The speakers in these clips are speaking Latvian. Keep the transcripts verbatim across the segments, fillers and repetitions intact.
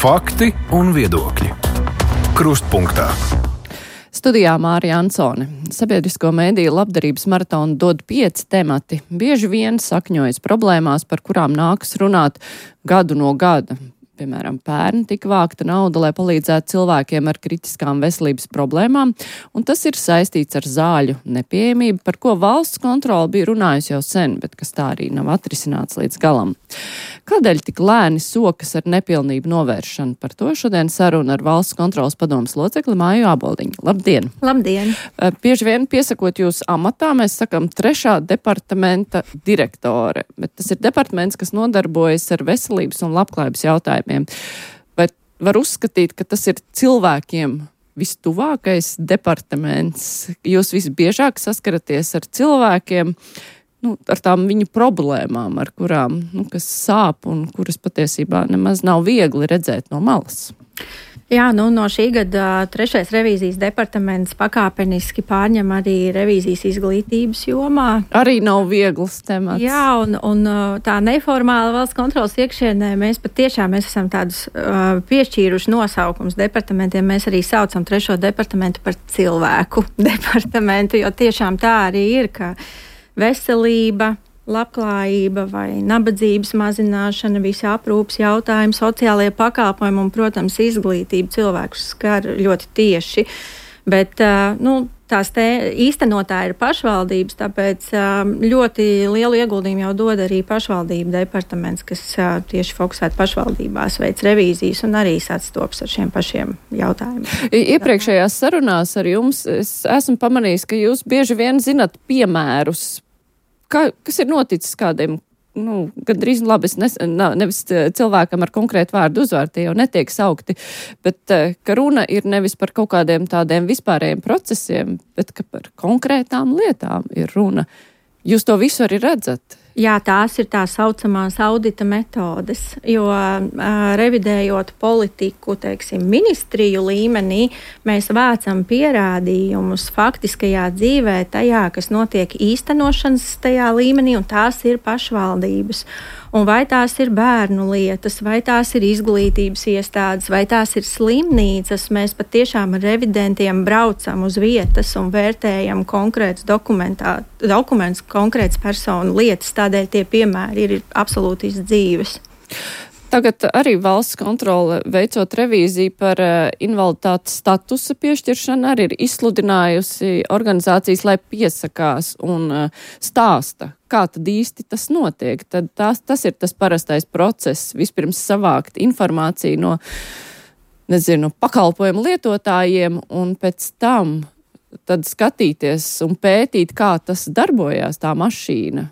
Fakti un viedokļi. Krustpunktā. Studijā Mārija Ansone. Sabiedrisko mediju labdarības maratonu dod pieci temati. Bieži vien sakņojas problēmās, par kurām nākas runāt gadu no gada. Piemēram, pērn tika vākta nauda, lai palīdzētu cilvēkiem ar kritiskām veselības problēmām, un tas ir saistīts ar zāļu nepieejamību, par ko valsts kontrole bija runājusi jau sen, bet kas tā arī nav atrisināts līdz galam. Kādēļ tik lēni sokas ar nepilnību novēršanu? Par to šodien saruna ar valsts kontroles padomes locekli Māju Āboldiņu. Labdien! Labdien! Bieži vien piesakot jūs amatā, mēs sakam trešā departamenta direktore, bet tas ir departaments, kas nodarbojas ar veselības un labklājības jautājumiem. Vai var uzskatīt, ka tas ir cilvēkiem vistuvākais departaments? Jūs visbiežāk saskaraties ar cilvēkiem, nu, ar tām viņu problēmām, ar kurām, nu, kas sāp un kuras patiesībā nemaz nav viegli redzēt no malas. Jā, nu, no šī gada trešais revīzijas departaments pakāpeniski pārņem arī revīzijas izglītības jomā. Arī nav viegls temats. Jā, un, un tā neformāla valsts kontrolas iekšienē mēs patiešām mēs esam tādus uh, piešķīruši nosaukums departamentiem. Mēs arī saucam trešo departamentu par cilvēku departamentu, jo tiešām tā arī ir, ka veselība, labklājība vai nabadzības mazināšana, visi aprūpas jautājumi, sociālie pakalpojumi un, protams, izglītība cilvēkus skar ļoti tieši. Bet, nu, tās te īstenotāji ir pašvaldības, tāpēc ļoti lielu ieguldījumu jau dod arī pašvaldību departaments, kas tieši fokusēt pašvaldībās, veic revīzijas un arī sastopas ar šiem pašiem jautājumiem. Iepriekšējās sarunās ar jums es esmu pamanījis, ka jūs bieži vien zinat piemērus, Kā, kas ir noticis kādiem, nu, gandrīz labi, es nes, nevis cilvēkam ar konkrētu vārdu uzvārdu, tie jau netiek saukti, bet ka runa ir nevis par kaut kādiem tādiem vispārējiem procesiem, bet ka par konkrētām lietām ir runa. Jūs to visu arī redzat? Jā, tās ir tā saucamās audita metodes, jo uh, revidējot politiku, teiksim, ministriju līmenī, mēs vācam pierādījumus faktiskajā dzīvē tajā, kas notiek īstenošanas tajā līmenī, un tās ir pašvaldības. Un vai tās ir bērnu lietas, vai tās ir izglītības iestādes, vai tās ir slimnīcas, mēs patiešām ar revidentiem braucam uz vietas un vērtējam konkrētus dokumentus, konkrētas personu lietas, tādēļ tie piemēri ir absolūti izdzīves. Tagad arī valsts kontrole veicot revīziju par uh, invaliditātes statusa piešķiršanu arī ir izsludinājusi organizācijas, lai piesakās un uh, stāsta, kā tad īsti tas notiek. Tad tās, tas ir tas parastais process, vispirms savākt informāciju no, nezinu, pakalpojumu lietotājiem un pēc tam tad skatīties un pētīt, kā tas darbojās, tā mašīna.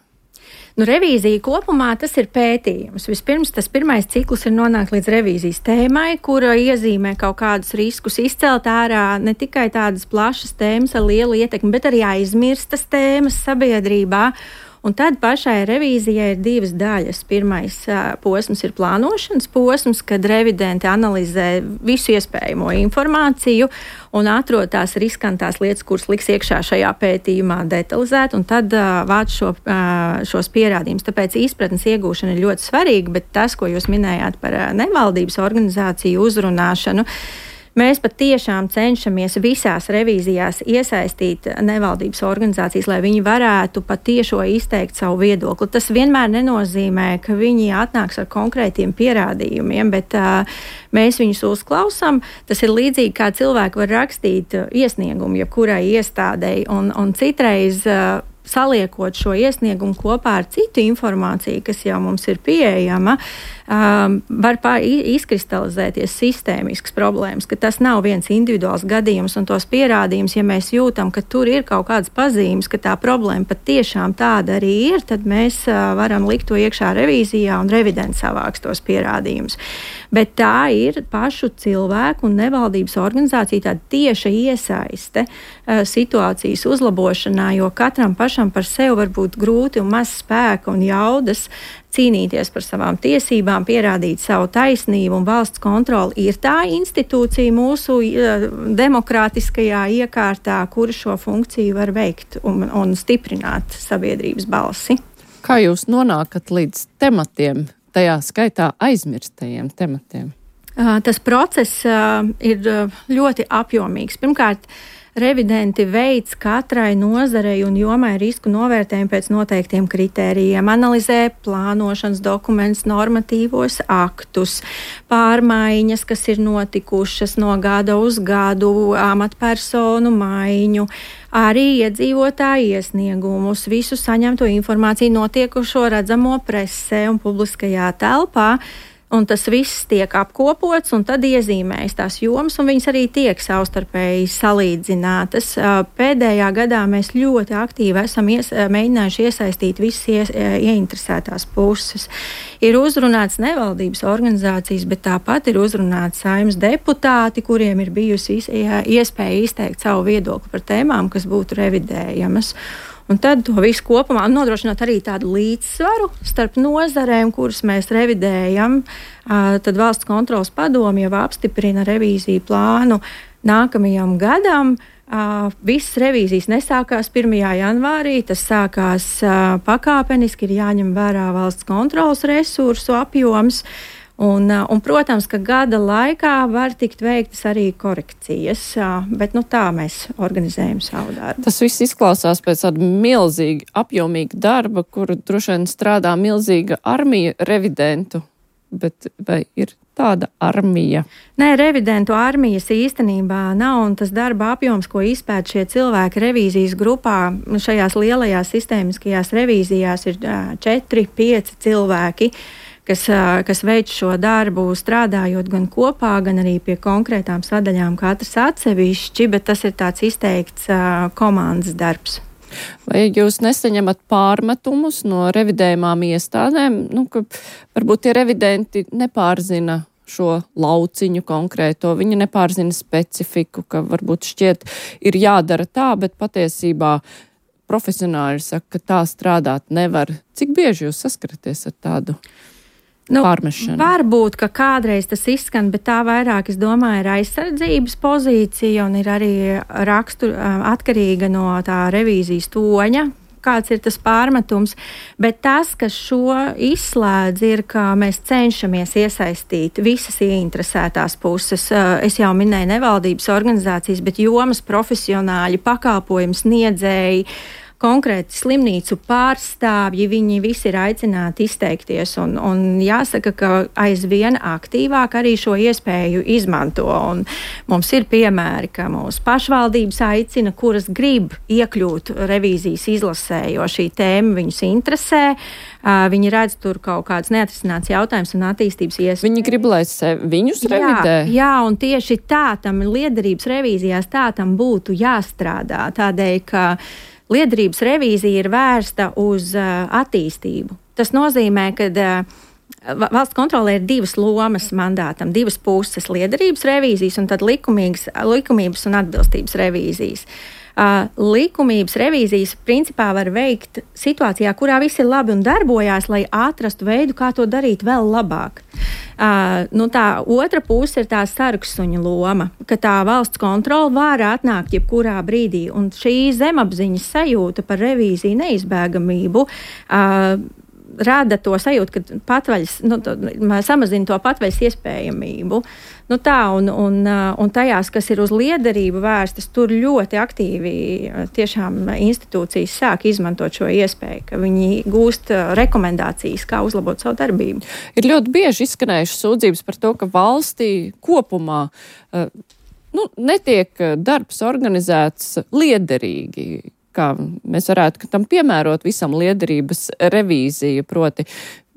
Nu, revīzija kopumā tas ir pētījums. Vispirms tas pirmais cikls ir nonākt līdz revīzijas tēmai, kura iezīmē kaut kādus riskus, izcelt ārā ne tikai tādas plašas tēmas ar lielu ietekmi, bet arī aizmirstas tēmas sabiedrībā. Un tad pašai revīzijai ir divas daļas. Pirmais uh, posms ir plānošanas posms, kad revidenti analizē visu iespējamo informāciju un atrod tās riskantās lietas, kuras liks iekšā šajā pētījumā detalizēt, un tad uh, vāc šo, uh, šos pierādījumus. Tāpēc izpratnes iegūšana ir ļoti svarīga, bet tas, ko jūs minējāt par uh, nevaldības organizāciju uzrunāšanu, mēs patiešām cenšamies visās revīzijās iesaistīt nevaldības organizācijas, lai viņi varētu patiešo izteikt savu viedokli. Tas vienmēr nenozīmē, ka viņi atnāks ar konkrētiem pierādījumiem, bet uh, mēs viņus uzklausām. Tas ir līdzīgi, kā cilvēki var rakstīt iesniegumu jebkurai iestādei, un, un citreiz uh, saliekot šo iesniegumu kopā ar citu informāciju, kas jau mums ir pieejama, um, var pār, izkristalizēties sistēmisks problēmas, ka tas nav viens individuāls gadījums un tos pierādījums, ja mēs jūtam, ka tur ir kaut kādas pazīmes, ka tā problēma patiešām tāda arī ir, tad mēs uh, varam likt to iekšā revīzijā un revidents savāks tos pierādījumus. Bet tā ir pašu cilvēku un nevaldības organizācija tāda tieša iesaiste uh, situācijas uzlabošanā, jo katram pašam par sevi var būt grūti un maz spēka un jaudas cīnīties par savām tiesībām, pierādīt savu taisnību, un valsts kontrole ir tā institūcija mūsu uh, demokrātiskajā iekārtā, kura šo funkciju var veikt un, un stiprināt sabiedrības balsi. Kā jūs nonākat līdz tematiem, tajā skaitā aizmirstajiem tematiem? Tas process ir ļoti apjomīgs. Pirmkārt, revidenti veids katrai nozarei un jomai risku novērtējumu pēc noteiktiem kritērijiem, analizē plānošanas dokumentus, normatīvos aktus, pārmaiņas, kas ir notikušas no gada uz gadu, amatpersonu maiņu, arī iedzīvotāju iesniegumus, visu saņemto informāciju, notiekušo redzamo presē un publiskajā telpā. Un tas viss tiek apkopots un tad iezīmējas tās jomas, un viņas arī tiek savstarpēji salīdzinātas. Pēdējā gadā mēs ļoti aktīvi esam ies, mēģinājuši iesaistīt visas ies, ieinteresētās puses. Ir uzrunāts nevaldības organizācijas, bet tāpat ir uzrunāts Saeimas deputāti, kuriem ir bijusi iespēja izteikt savu viedokli par tēmām, kas būtu revidējamas. Un tad to visu kopumā nodrošinot arī tādu līdzsvaru starp nozarēm, kuras mēs revidējam. Tad valsts kontrolas padome jau apstiprina revīziju plānu nākamajam gadam. Visas revīzijas nesākās pirmajā janvārī, tas sākās pakāpeniski, ir jāņem vērā valsts kontrolas resursu apjoms. Un, un, protams, ka gada laikā var tikt veiktas arī korekcijas, bet nu, tā mēs organizējam savu darbu. Tas viss izklausās pēc tāda milzīga, apjomīga darba, kur droši vien strādā milzīga armija revidentu, bet vai ir tāda armija? Nē, revidentu armijas īstenībā nav, un tas darba apjoms, ko izpēta šie cilvēki revīzijas grupā, šajās lielajās sistēmiskajās revīzijās ir četri, pieci cilvēki, kas, kas veic šo darbu, strādājot gan kopā, gan arī pie konkrētām sadaļām, katrs atsevišķi, bet tas ir tāds izteikts uh, komandas darbs. Vai jūs nesaņemat pārmetumus no revidējumām iestādēm, nu, ka varbūt tie revidenti nepārzina šo lauciņu konkrēto, viņi nepārzina specifiku, ka varbūt šķiet ir jādara tā, bet patiesībā profesionāļi saka, ka tā strādāt nevar. Cik bieži jūs saskaraties ar tādu? Nu, varbūt, ka kādreiz tas izskan, bet tā vairāk, es domāju, ir aizsardzības pozīcija un ir arī rakstur, atkarīga no tā revīzijas toņa, kāds ir tas pārmetums. Bet tas, kas šo izslēdz, ir, ka mēs cenšamies iesaistīt visas ieinteresētās puses. Es jau minēju nevaldības organizācijas, bet jomas profesionāļi, pakalpojumu sniedzēji, konkrēti slimnīcu pārstāvji, viņi visi ir aicināti izteikties un, un jāsaka, ka aizvien aktīvāk arī šo iespēju izmanto. Un mums ir piemēri, ka mūsu pašvaldības aicina, kuras grib iekļūt revīzijas izlasē, jo šī tēma viņus interesē. Viņi redz tur kaut kāds neatrisināts jautājums un attīstības iespējas. Viņi grib, lai viņus revidē? Jā, jā, un tieši tā tam liederības revīzijās tā tam būtu jāstrādā. Tādēļ, ka liederības revīzija ir vērsta uz uh, attīstību. Tas nozīmē, ka uh, valsts kontrolē ir divas lomas mandātam, divas puses - liederības revīzijas un tad likumības un atbilstības revīzijas. Uh, likumības revīzijas principā var veikt situācijā, kurā viss ir labi un darbojās, lai atrastu veidu, kā to darīt vēl labāk. Uh, nu tā otra puse ir tā sargsuņa loma, ka tā valsts kontrole var atnākt jebkurā brīdī, un šī zemapziņas sajūta par revīziju neizbēgamību uh, rada to sajūtu, ka patvaļas, nu, to, samazina to patvaļas iespējamību. Nu tā, un, un, un tajās, kas ir uz liederību vērstas, tur ļoti aktīvi tiešām institūcijas sāk izmantot šo iespēju, ka viņi gūst rekomendācijas, kā uzlabot savu darbību. Ir ļoti bieži izskanējušas sūdzības par to, ka valstī kopumā nu, netiek darbs organizēts liederīgi, kā mēs varētu tam piemērot visam liederības revīziju, proti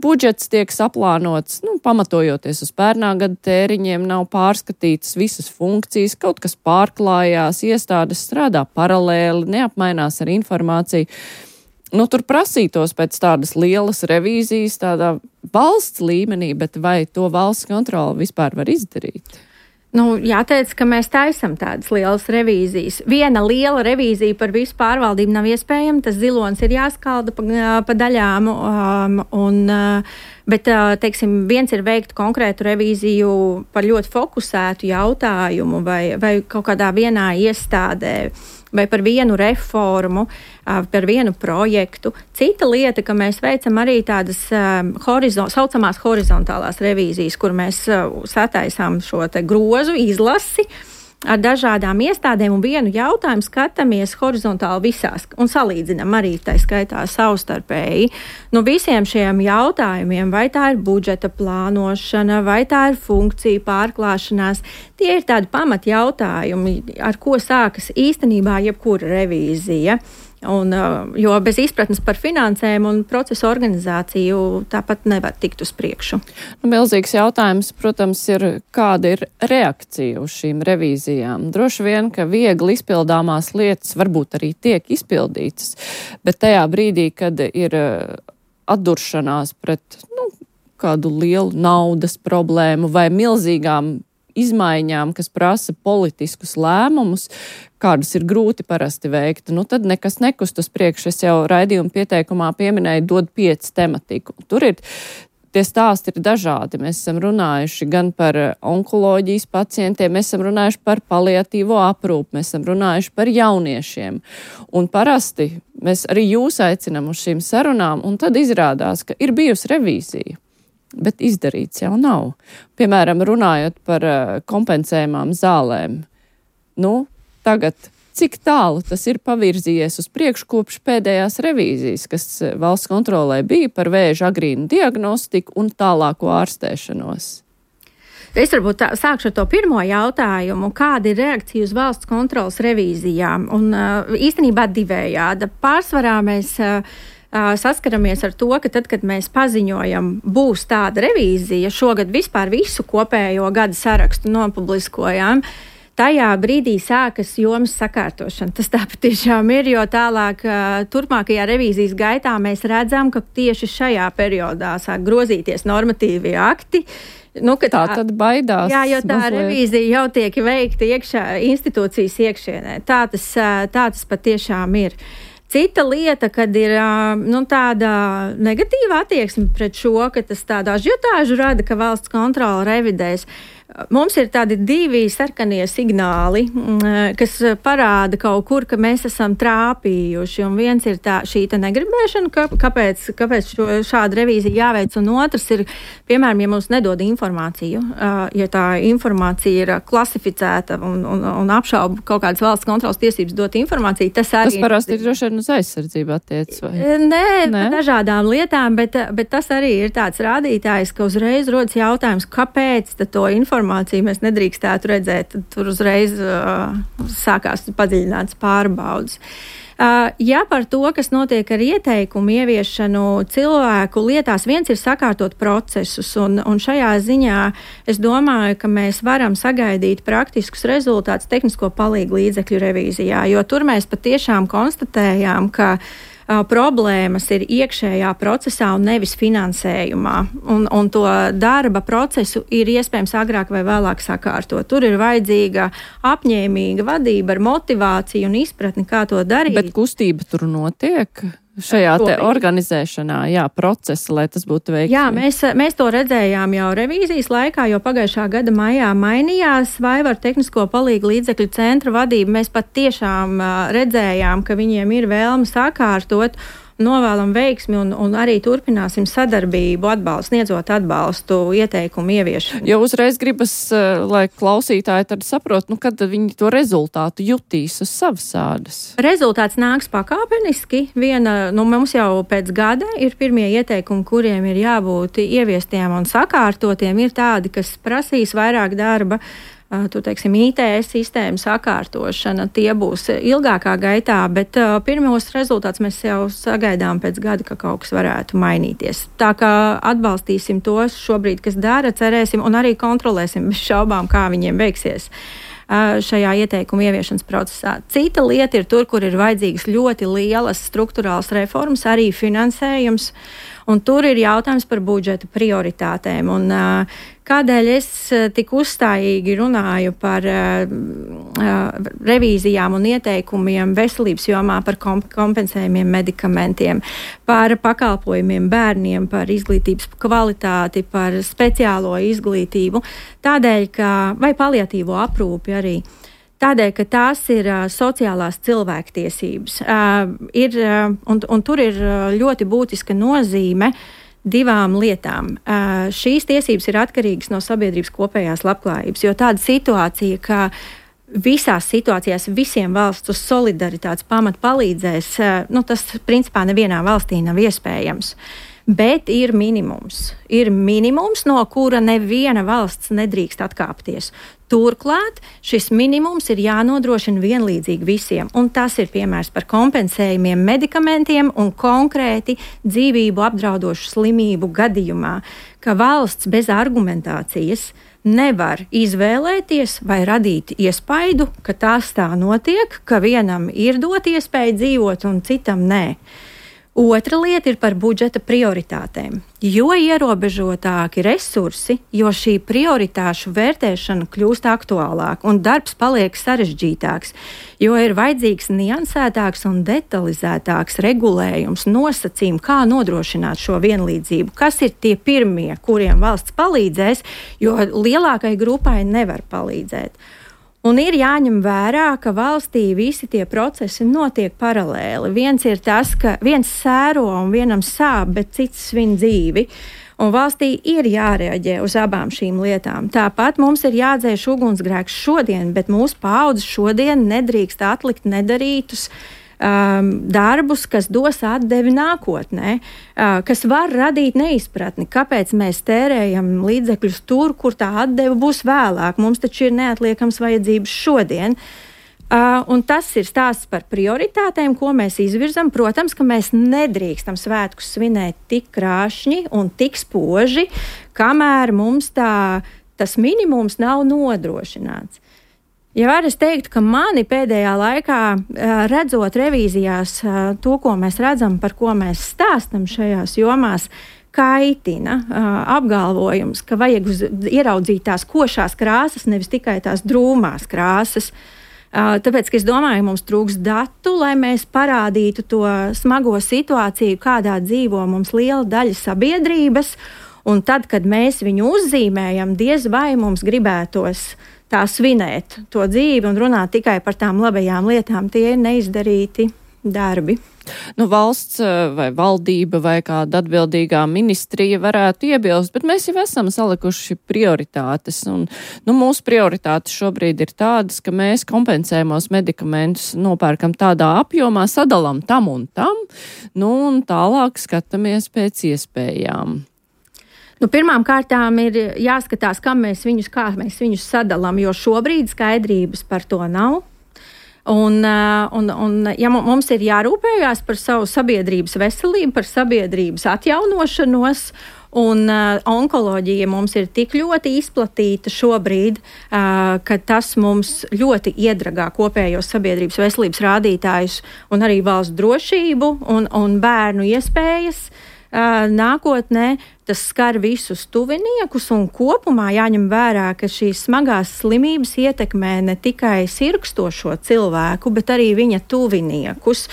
budžets tiek saplānots, nu, pamatojoties uz pērnā gada tēriņiem, nav pārskatītas visas funkcijas, kaut kas pārklājās, iestādes strādā paralēli, neapmainās ar informāciju. Nu, tur prasītos pēc tādas lielas revīzijas, tādā valsts līmenī, bet vai to valsts kontroli vispār var izdarīt? Nu, jāteic, ka mēs taisam tādas lielas revīzijas. Viena liela revīzija par visu pārvaldību nav iespējama, tas zilonis ir jāskalda pa, pa daļām, um, un, uh, bet, uh, teiksim, viens ir veikt konkrētu revīziju par ļoti fokusētu jautājumu vai, vai kaut kādā vienā iestādē. vai par vienu reformu, par vienu projektu. Cita lieta, ka mēs veicam arī tādas horizon, saucamās horizontālās revīzijas, kur mēs sataisām šo te grozu izlasi ar dažādām iestādēm un vienu jautājumu skatāmies horizontāli visās un salīdzinām arī tā skaitā savstarpēji. Nu, visiem šiem jautājumiem, vai tā ir budžeta plānošana, vai tā ir funkcija pārklāšanās, tie ir tādi pamat jautājumi, ar ko sākas īstenībā jebkura revīzija. Un, jo bez izpratnes par finansēm un procesu organizāciju tāpat nevar tikt uz priekšu. Nu, milzīgs jautājums, protams, ir, kāda ir reakcija uz šīm revīzijām. Droši vien, ka viegli izpildāmās lietas varbūt arī tiek izpildītas, bet tajā brīdī, kad ir atduršanās pret nu, kādu lielu naudas problēmu vai milzīgām izmaiņām, kas prasa politiskus lēmumus, kādus ir grūti parasti veikt, nu tad nekas nekust uz priekšu. Es jau raidījuma pieteikumā pieminēju dod pieci tematiku. Tur ir, tie stāsti ir dažādi. Mēs esam runājuši gan par onkoloģijas pacientiem, mēs esam runājuši par paliatīvo aprūpu, mēs esam runājuši par jauniešiem. Un parasti mēs arī jūs aicinam uz šīm sarunām, un tad izrādās, ka ir bijusi revīzija. Bet izdarīts jau nav. Piemēram, runājot par uh, kompensējumām zālēm. Nu, tagad, cik tālu tas ir pavirzījies uz priekšu kopš pēdējās revīzijas, kas valsts kontrolē bija par vēža agrīnu diagnostiku un tālāko ārstēšanos? Es varbūt tā, sākšu ar to pirmo jautājumu. Kāda ir reakcija uz valsts kontrolas revīzijām? Un uh, īstenībā divējāda. Pārsvarā mēs uh, saskaramies ar to, ka tad, kad mēs paziņojam, būs tāda revīzija, šogad vispār visu kopējo gada sarakstu nopubliskojām, tajā brīdī sākas jomas sakārtošana. Tas tā patiešām ir, jo tālāk turpmākajā revīzijas gaitā mēs redzam, ka tieši šajā periodā sāk grozīties normatīvie akti. Nu, tā, tā tad baidās. Jā, jo tā mazliet. Revīzija jau tiek veikta iekšā, institūcijas iekšienē. Tā tas, tā tas patiešām ir. Cita lieta, kad ir nu, tāda negatīva attieksme pret šo, ka tas tādu ažiotāžu rada, ka valsts kontrole revidēs. Mums ir tādi divi sarkanie signāli, kas parāda kaut kur, ka mēs esam trāpījuši. Un viens ir tā, šī tā negribēšana, ka, kāpēc, kāpēc šo, šāda revīzija jāveic, un otrs ir, piemēram, ja mums nedod informāciju, ja tā informācija ir klasificēta un, un, un apšauba kaut kādas valsts kontrolas tiesības dot informāciju, tas arī... Tas parasti ir droši vien uz aizsardzību attiec, vai? Nē, Nē? dažādām lietām, bet, bet tas arī ir tāds rādītājs, ka uzreiz rodas jautājums, kāpēc to informāciju informāciju mēs nedrīkstētu redzēt, tur uzreiz uh, sākās padziļināts pārbaudas. Uh, ja par to, kas notiek ar ieteikumu ieviešanu cilvēku lietās, viens ir sakārtot procesus, un, un šajā ziņā es domāju, ka mēs varam sagaidīt praktiskus rezultātus tehnisko palīgu līdzekļu revīzijā, jo tur mēs patiešām konstatējām, ka problēmas ir iekšējā procesā un nevis finansējumā. Un, un to darba procesu ir iespējams agrāk vai vēlāk sakārtot. Tur ir vajadzīga apņēmīga vadība ar motivāciju un izpratni, kā to darīt. Bet kustība tur notiek? Šajā te organizēšanā, jā, procesa, lai tas būtu veiksmīgi. Jā, mēs, mēs to redzējām jau revīzijas laikā, jo pagājušā gada maijā mainījās Vaivaru tehnisko palīgu līdzekļu centra vadība. Mēs pat tiešām uh, redzējām, ka viņiem ir vēlme sakārtot, novēlam veiksmi un, un arī turpināsim sadarbību, atbalstu, sniedzot atbalstu ieteikumu ieviešanu. Jo uzreiz gribas, lai klausītāji tad saprot, nu kad viņi to rezultātu jutīs uz savas ādas. Rezultāts nāks pakāpeniski. Viena, nu mums jau pēc gada ir pirmie ieteikumi, kuriem ir jābūt ieviestiem un sakārtotiem. Ir tādi, kas prasīs vairāk darba. Tu teiksim, I T S sistēmu sakārtošana, tie būs ilgākā gaitā, bet uh, pirmos rezultātus mēs jau sagaidām pēc gada, ka kaut kas varētu mainīties. Tā kā atbalstīsim tos šobrīd, kas dara, cerēsim un arī kontrolēsim bez šaubām, kā viņiem veiksies uh, šajā ieteikuma ieviešanas procesā. Cita lieta ir tur, kur ir vajadzīgas ļoti lielas struktūrāls reformas, arī finansējums. Un tur ir jautājums par budžeta prioritātēm. Un, uh, kādēļ es uh, tik uzstājīgi runāju par uh, uh, revīzijām un ieteikumiem veselības jomā, par kom kompensējumiem medikamentiem, par pakalpojumiem bērniem, par izglītības kvalitāti, par speciālo izglītību, tādēļ, ka vai paliatīvo aprūpi arī. Tādēļ, ka tās ir uh, sociālās cilvēktiesības. Uh, ir, uh, un, un tur ir uh, ļoti būtiska nozīme divām lietām. Uh, šīs tiesības ir atkarīgas no sabiedrības kopējās labklājības, jo tāda situācija, ka visās situācijās visiem valsts uz solidaritātes pamatu palīdzēs, uh, nu, tas principā nevienā valstī nav iespējams. Bet ir minimums. Ir minimums, no kura neviena valsts nedrīkst atkāpties. Turklāt šis minimums ir jānodrošina vienlīdzīgi visiem, un tas ir piemērs par kompensējumiem medikamentiem un konkrēti dzīvību apdraudošu slimību gadījumā, ka valsts bez argumentācijas nevar izvēlēties vai radīt iespaidu, ka tās tā notiek, ka vienam ir dot iespēju dzīvot un citam nē. Otra lieta ir par budžeta prioritātēm. Jo ierobežotāki resursi, jo šī prioritāšu vērtēšana kļūst aktuālāka un darbs paliek sarežģītāks, jo ir vajadzīgs niansētāks un detalizētāks regulējums, nosacījumi, kā nodrošināt šo vienlīdzību, kas ir tie pirmie, kuriem valsts palīdzēs, jo lielākai grupai nevar palīdzēt. Un ir jāņem vērā, ka valstī visi tie procesi notiek paralēli. Viens ir tas, ka viens sēro un vienam sāp, bet cits svin dzīvi. Un valstī ir jārēģē uz abām šīm lietām. Tāpat mums ir jādzēš ugunsgrēks šodien, bet mūsu paaudzes šodien nedrīkst atlikt nedarītus um, darbus, kas dos atdevi nākotnē, uh, kas var radīt neizpratni, kāpēc mēs tērējam līdzekļus tur, kur tā atdeve būs vēlāk. Mums taču ir neatliekams vajadzības šodien. Uh, un tas ir stāsts par prioritātēm, ko mēs izvirzam. Protams, ka mēs nedrīkstam svētkus svinēt tik krāšņi un tik spoži, kamēr mums tā, tas minimums nav nodrošināts. Ja var es teiktu, ka mani pēdējā laikā, redzot revīzijās to, ko mēs redzam, par ko mēs stāstam šajās jomās, kaitina apgalvojums, ka vajag uz, ieraudzīt tās košās krāsas, nevis tikai tās drūmās krāsas. Tāpēc, ka es domāju, mums trūks datu, lai mēs parādītu to smago situāciju, kādā dzīvo mums liela daļa sabiedrības, un tad, kad mēs viņu uzzīmējam, diez vai mums gribētos tā svinēt to dzīvi un runāt tikai par tām labajām lietām. Tie ir neizdarīti darbi. Nu, valsts vai valdība vai kāda atbildīgā ministrija varētu iebilst, bet mēs jau esam salikuši prioritātes. Un, nu, mūsu prioritātes šobrīd ir tādas, ka mēs kompensējamos medikamentus nopērkam tādā apjomā, sadalām tam un tam, nu, un tālāk skatāmies pēc iespējām. Nu, pirmām kārtām ir jāskatās, kam mēs viņus, kā mēs viņus sadalām, jo šobrīd skaidrības par to nav. Un, un, un ja mums ir jārūpējās par savu sabiedrības veselību, par sabiedrības atjaunošanos, un uh, onkoloģija mums ir tik ļoti izplatīta šobrīd, uh, ka tas mums ļoti iedragā kopējos sabiedrības veselības rādītājus un arī valsts drošību un, un bērnu iespējas. Uh, nākotnē tas skar visus tuviniekus, un kopumā jāņem vērā, ka šīs smagās slimības ietekmē ne tikai sirkstošo cilvēku, bet arī viņa tuviniekus.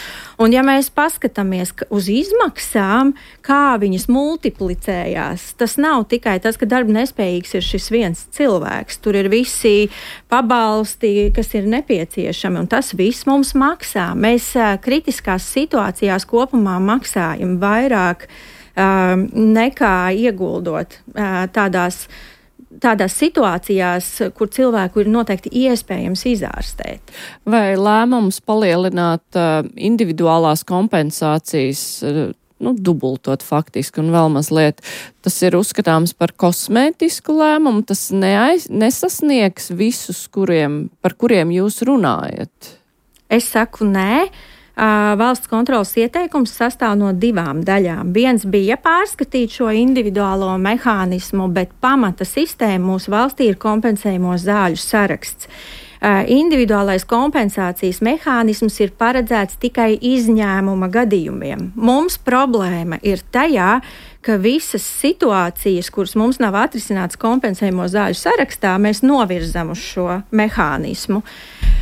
Un ja mēs paskatāmies uz izmaksām, kā viņas multiplicējās, tas nav tikai tas, ka darba nespējīgs ir šis viens cilvēks. Tur ir visi pabalsti, kas ir nepieciešami, un tas viss mums maksā. Mēs uh, kritiskās situācijās kopumā maksājam vairāk Uh, nekā ieguldot uh, tādās, tādās situācijās, kur cilvēku ir noteikti iespējams izārstēt. Vai lēmums palielināt uh, individuālās kompensācijas, uh, nu, dubultot faktiski un vēl mazliet, tas ir uzskatāms par kosmētisku lēmumu, tas neaiz, nesasniegs visus, kuriem, par kuriem jūs runājat? Es saku nē. Uh, valsts kontrolas ieteikums sastāv no divām daļām. Viens bija pārskatīt šo individuālo mehānismu, bet pamata sistēma mūsu valstī ir kompensējamo zāļu saraksts. Uh, individuālais kompensācijas mehānisms ir paredzēts tikai izņēmuma gadījumiem. Mums problēma ir tajā, ka visas situācijas, kuras mums nav atrisināts kompensējamo zāļu sarakstā, mēs novirzam uz šo mehānismu.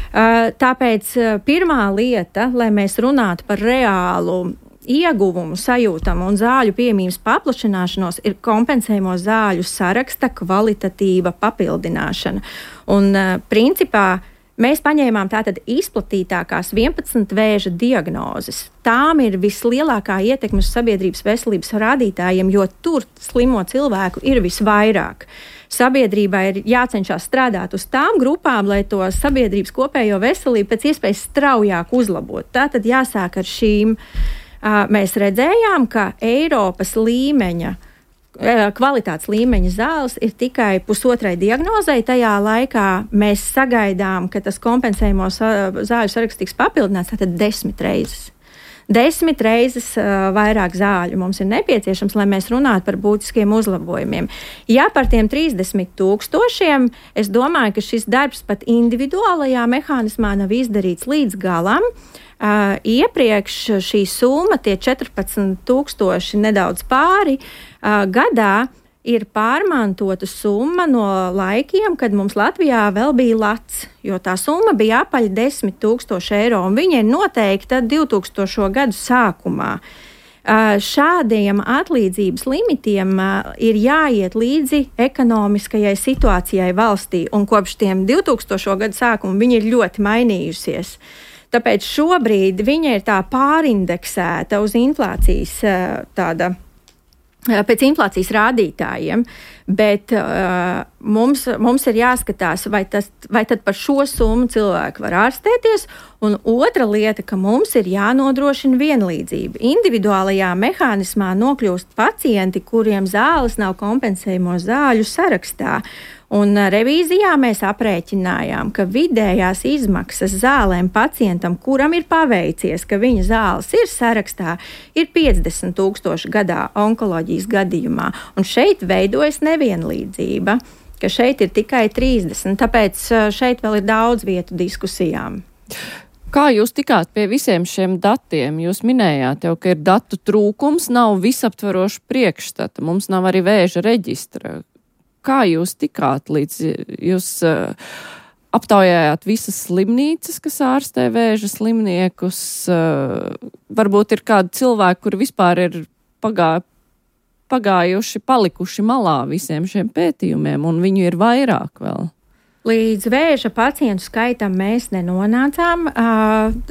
Uh, tāpēc uh, pirmā lieta, lai mēs runātu par reālu ieguvumu sajūtam un zāļu pieejamības paplašināšanos, ir kompensējamo zāļu saraksta kvalitatīva papildināšana. Un, uh, principā, Mēs paņēmām tātad izplatītākās vienpadsmit vēža diagnozes. Tām ir vislielākā ietekme uz sabiedrības veselības rādītājiem, jo tur slimo cilvēku ir visvairāk. Sabiedrībai ir jācenšas strādāt uz tām grupām, lai to sabiedrības kopējo veselību pēc iespējas straujāk uzlabot. Tātad jāsāk ar šīm. Mēs redzējām, ka Eiropas līmeņa kvalitātes līmeņa zāles ir tikai pusotrai diagnozei. Tajā laikā mēs sagaidām, ka tas kompensējamo zāļu saraksts tiks papildināts tātad desmit reizes. Desmit reizes uh, vairāk zāļu mums ir nepieciešams, lai mēs runātu par būtiskiem uzlabojumiem. Ja par tiem trīsdesmit tūkstošiem, es domāju, ka šis darbs pat individuālajā mehānismā nav izdarīts līdz galam. Uh, iepriekš šī summa, tie četrpadsmit tūkstoši nedaudz pāri uh, gadā, ir pārmantota summa no laikiem, kad mums Latvijā vēl bija lats, jo tā summa bija apaļ desmit tūkstoši eiro, un viņa ir noteikta divtūkstošo gadu sākumā. Uh, šādiem atlīdzības limitiem uh, ir jāiet līdzi ekonomiskajai situācijai valstī, un kopš tiem divtūkstošo gadu sākuma viņa ir ļoti mainījusies. Tāpēc šobrīd viņa ir tā pārindeksēta uz inflācijas tāda, pēc inflācijas rādītājiem, bet uh, mums, mums ir jāskatās, vai, tas, vai tad par šo summu cilvēki var ārstēties, un otra lieta, ka mums ir jānodrošina vienlīdzība. Individuālajā mehānismā nokļūst pacienti, kuriem zāles nav kompensējamo zāļu sarakstā. Un revīzijā mēs aprēķinājām, ka vidējās izmaksas zālēm pacientam, kuram ir paveicies, ka viņa zāles ir sarakstā, ir piecdesmit tūkstoši gadā onkoloģijas gadījumā. Un šeit veidojas nevienlīdzība, ka šeit ir tikai trīsdesmit, tāpēc šeit vēl ir daudz vietu diskusijām. Kā jūs tikāt pie visiem šiem datiem? Jūs minējāt jau, ka ir datu trūkums, nav visaptvaroša priekšstata, mums nav arī vēža reģistra. Kā jūs tikāt līdz, jūs uh, aptaujājāt visas slimnīcas, kas ārstē vēža slimniekus? Uh, varbūt ir kādi cilvēki, kuri vispār ir pagā, pagājuši, palikuši malā visiem šiem pētījumiem, un viņu ir vairāk vēl. Līdz vēža pacientu skaitam mēs nenonācām.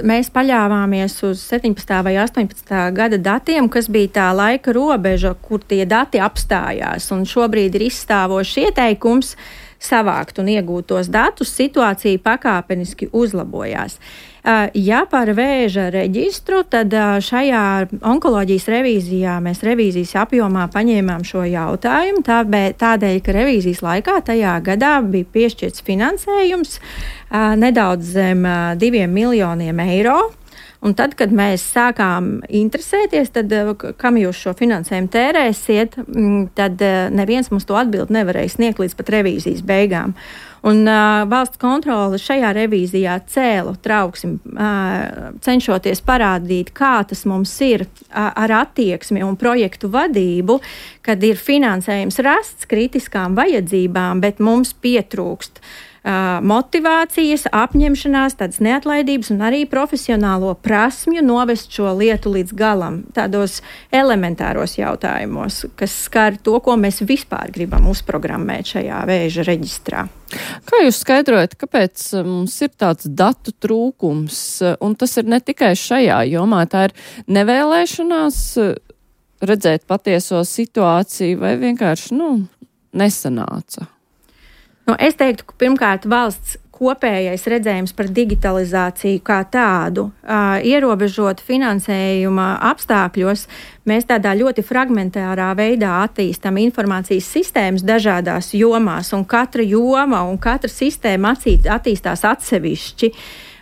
Mēs paļāvāmies uz septiņpadsmitā vai astoņpadsmitā gada datiem, kas bija tā laika robeža, kur tie dati apstājās. Un šobrīd ir izstāvošs ieteikums savākt un iegūt tos datus. Situācija pakāpeniski uzlabojās. Ja par vēža reģistru, tad šajā onkoloģijas revīzijā mēs revīzijas apjomā paņēmām šo jautājumu, tādēļ, ka revīzijas laikā tajā gadā bija piešķirts finansējums nedaudz zem diviem miljoniem eiro. Un tad, kad mēs sākām interesēties, tad, kam jūs šo finansējumu tērēsiet, tad neviens mums to atbildi nevarēja sniegt līdz pat revīzijas beigām. Un uh, valsts kontrole šajā revīzijā cēlu trauksim, uh, cenšoties parādīt, kā tas mums ir uh, ar attieksmi un projektu vadību, kad ir finansējums rasts kritiskām vajadzībām, bet mums pietrūkst uh, motivācijas, apņemšanās, tādas neatlaidības un arī profesionālo prasmju novest šo lietu līdz galam, tādos elementāros jautājumos, kas skar to, ko mēs vispār gribam uzprogrammēt šajā vēža reģistrā. Kā jūs skaidrojat, kāpēc mums ir tāds datu trūkums, un tas ir ne tikai šajā jomā, tā ir nevēlēšanās redzēt patieso situāciju vai vienkārši, nu, nesanāca? Nu, es teiktu, ka pirmkārt valsts kopējais redzējums par digitalizāciju kā tādu, uh, ierobežot finansējuma apstākļos, mēs tādā ļoti fragmentārā veidā attīstam informācijas sistēmas dažādās jomās, un katra joma un katra sistēma attīstās atsevišķi.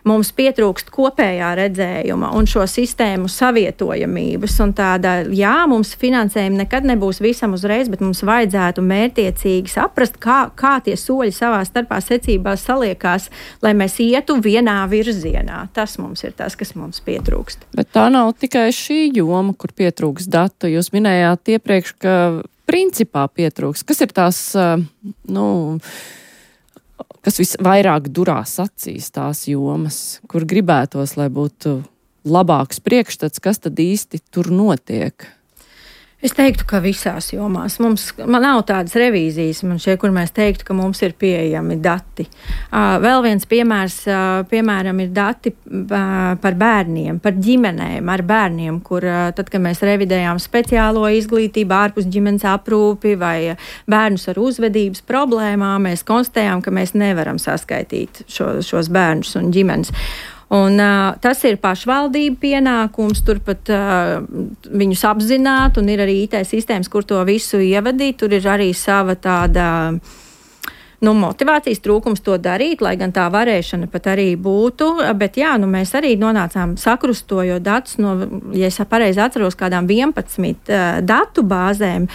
Mums pietrūkst kopējā redzējuma un šo sistēmu savietojamības. Un tāda, jā, mums finansējumi nekad nebūs visam uzreiz, bet mums vajadzētu mērtiecīgi saprast, kā, kā tie soļi savā starpā secībā saliekās, lai mēs ietu vienā virzienā. Tas mums ir tas, kas mums pietrūkst. Bet tā nav tikai šī joma, kur pietrūkst datu. Jūs minējāt iepriekš, ka principā pietrūkst. Kas ir tās, nu... kas visvairāk durās acīs tās jomas, kur gribētos, lai būtu labāks priekšstats, kas tad īsti tur notiek? Es teiktu, ka visās jomās. Mums, man nav tādas revīzijas, man šie, kur mēs teiktu, ka mums ir pieejami dati. Uh, vēl viens piemērs, uh, piemēram, ir dati uh, par bērniem, par ģimenēm ar bērniem, kur uh, tad, kad mēs revidējām speciālo izglītību, ārpus ģimenes aprūpi vai bērnus ar uzvedības problēmām, mēs konstatējām, ka mēs nevaram saskaitīt šo, šos bērnus un ģimenes. Un, uh, tas ir pašvaldību pienākums, turpat uh, viņus apzināt, un ir arī I T sistēmas, kur to visu ievadīt. Tur ir arī sava tāda nu, motivācijas trūkums to darīt, lai gan tā varēšana pat arī būtu. Bet jā, nu, mēs arī nonācām sakrustojot datus no, ja es pareizi atceros, kādām vienpadsmit uh, datu bāzēm.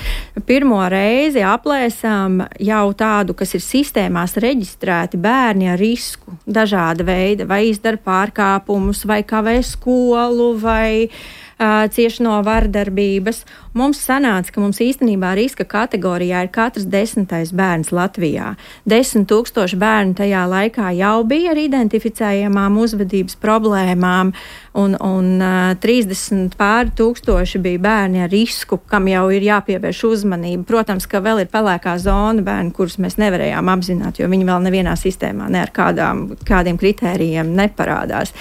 Pirmo reizi aplēsām jau tādu, kas ir sistēmās reģistrēti bērni ar risku dažāda veida, vai izdara pārkāpumus, vai kavē skolu, vai uh, cieši no vardarbības. Mums sanāca, ka mums īstenībā riska kategorijā ir katrs desmitais bērns Latvijā. Desmit tūkstoši bērnu tajā laikā jau bija ar identificējamām uzvedības problēmām, un, un uh, trīsdesmit pāri tūkstoši bija bērni ar risku, kam jau ir jāpievērš uzmanība. Protams, ka vēl ir pelēkā zona bērni, kurus mēs nevarējām apzināt, jo viņi vēl nevienā sistēmā ne ar kādām, kādiem kritērijiem neparādās.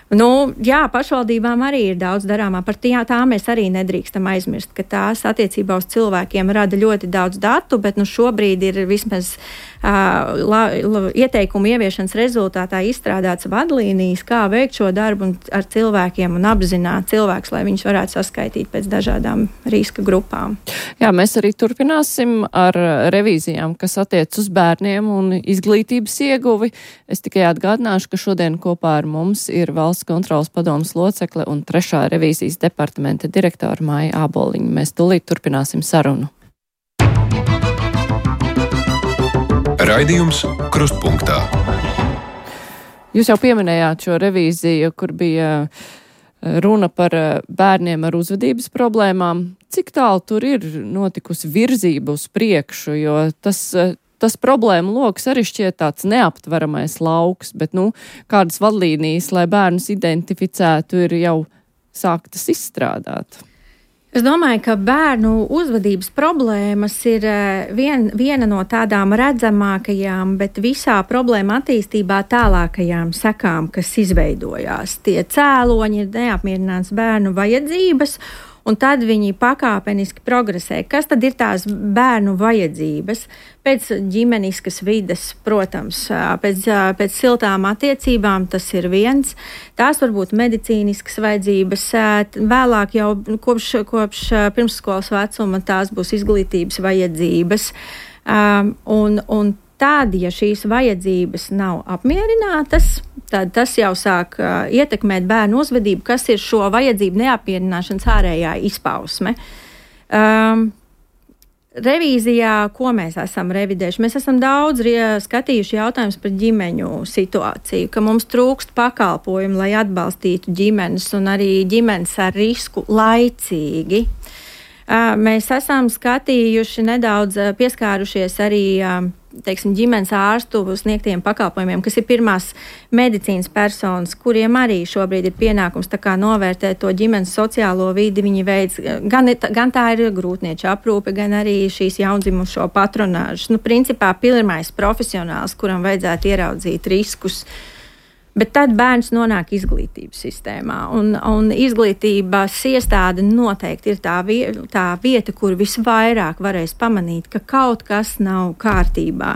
Nu, jā, pašvaldībām arī ir daudz darāmā. Par tā, tā mēs arī nedrīkstam aizmirst, ka tās attiecībā uz cilvēkiem rada ļoti daudz datu, bet nu, šobrīd ir vismaz uh, la, la, ieteikumu ieviešanas rezultātā izstrādāts vadlīnijas, kā veikt šo darbu ar cilvēkiem un apzināt cilvēkus, lai viņus varētu saskaitīt pēc dažādām riska grupām. Jā, mēs arī turpināsim ar revīzijām, kas attiec uz bērniem un izglītības ieguvi. Es tikai atgādināšu, ka šodien kopā ar mums ir valsts kontrolas padomas locekle un trešā revīzijas departamenta direktora Maija Āboliņa. Mēs tūlīt turpināsim sarunu. Raidījums Krustpunktā. Jūs jau pieminējāt šo revīziju, kur bija runa par bērniem ar uzvedības problēmām. Cik tālu tur ir notikusi virzība uz priekšu, jo tas Tas problēma loks arī šķiet tāds neaptveramais lauks, bet, nu, kādas vadlīnijas, lai bērnus identificētu, ir jau sāktas izstrādāt. Es domāju, ka bērnu uzvedības problēmas ir vien, viena no tādām redzamākajām, bet visā problēma attīstībā tālākajām sekām, kas izveidojās. Tie cēloņi ir neapmierināts bērnu vajadzības, un tad viņi pakāpeniski progresē. Kas tad ir tās bērnu vajadzības? Pēc ģimeniskas vides, protams, pēc, pēc siltām attiecībām tas ir viens. Tās var būt medicīniskas vajadzības. Vēlāk jau kopš, kopš pirmsskolas vecuma tās būs izglītības vajadzības. Un, un tad, ja šīs vajadzības nav apmierinātas, tad tas jau sāk uh, ietekmēt bērnu uzvedību, kas ir šo vajadzību neapmierināšanas ārējā izpausme. Um, revīzijā, ko mēs esam revidējuši? Mēs esam daudz skatījuši jautājumus par ģimeņu situāciju, ka mums trūkst pakalpojumu, lai atbalstītu ģimenes un arī ģimenes ar risku laicīgi. Uh, mēs esam skatījuši nedaudz, uh, pieskārušies arī uh, teiksim, ģimenes ārstu sniegtiem pakalpojumiem, kas ir pirmās medicīnas personas, kuriem arī šobrīd ir pienākums tā kā novērtēt to ģimenes sociālo vidi. Viņi veids, gan, gan tā ir grūtnieča aprūpe, gan arī šīs jaundzimušo patronāžas. Nu, principā pirmais profesionāls, kuram vajadzētu ieraudzīt riskus. Bet tad bērns nonāk izglītības sistēmā, un, un izglītības iestāde noteikti ir tā, vie, tā vieta, kur visvairāk varēs pamanīt, ka kaut kas nav kārtībā.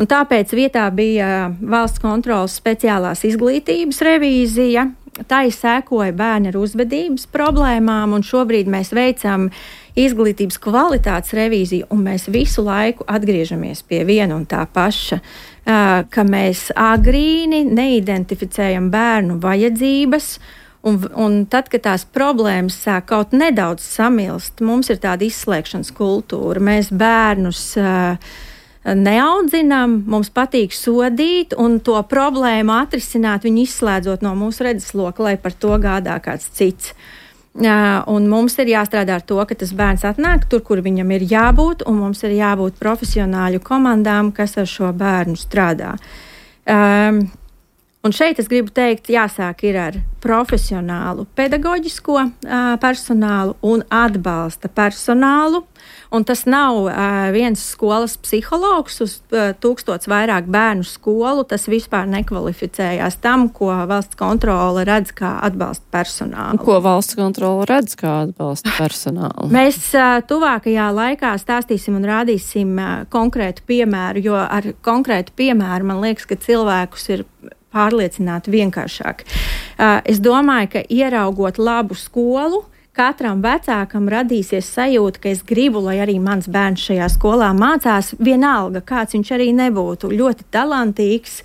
Un tāpēc vietā bija valsts kontrolas speciālās izglītības revīzija. Tai sēkoja bērni ar uzvedības problēmām, un šobrīd mēs veicam izglītības kvalitātes revīziju, un mēs visu laiku atgriežamies pie viena un tā paša, ka mēs agrīni neidentificējam bērnu vajadzības, un, un tad, kad tās problēmas sāk kaut nedaudz samilst, mums ir tāda izslēgšanas kultūra. Mēs bērnus uh, neaudzinām, mums patīk sodīt un to problēmu atrisināt, viņu izslēdzot no mūsu redzesloka, lai par to gādā kāds cits. Uh, un mums ir jāstrādā ar to, ka tas bērns atnāk tur, kur viņam ir jābūt, un mums ir jābūt profesionāļu komandām, kas ar šo bērnu strādā. Um, Un šeit es gribu teikt, jāsāk ir ar profesionālu pedagoģisko uh, personālu un atbalsta personālu. Un tas nav uh, viens skolas psihologs uz uh, tūkstots vairāk bērnu skolu. Tas vispār nekvalificējās tam, ko valsts kontrole redz kā atbalsta personālu. Ko valsts kontrole redz kā atbalsta personālu? Mēs uh, tuvākajā laikā stāstīsim un rādīsim uh, konkrētu piemēru, jo ar konkrētu piemēru man liekas, ka cilvēkus ir pārliecināti vienkāršāk. Uh, es domāju, ka ieraugot labu skolu, katram vecākam radīsies sajūta, ka es gribu, lai arī mans bērns šajā skolā mācās, vienalga, kāds viņš arī nebūtu, ļoti talantīgs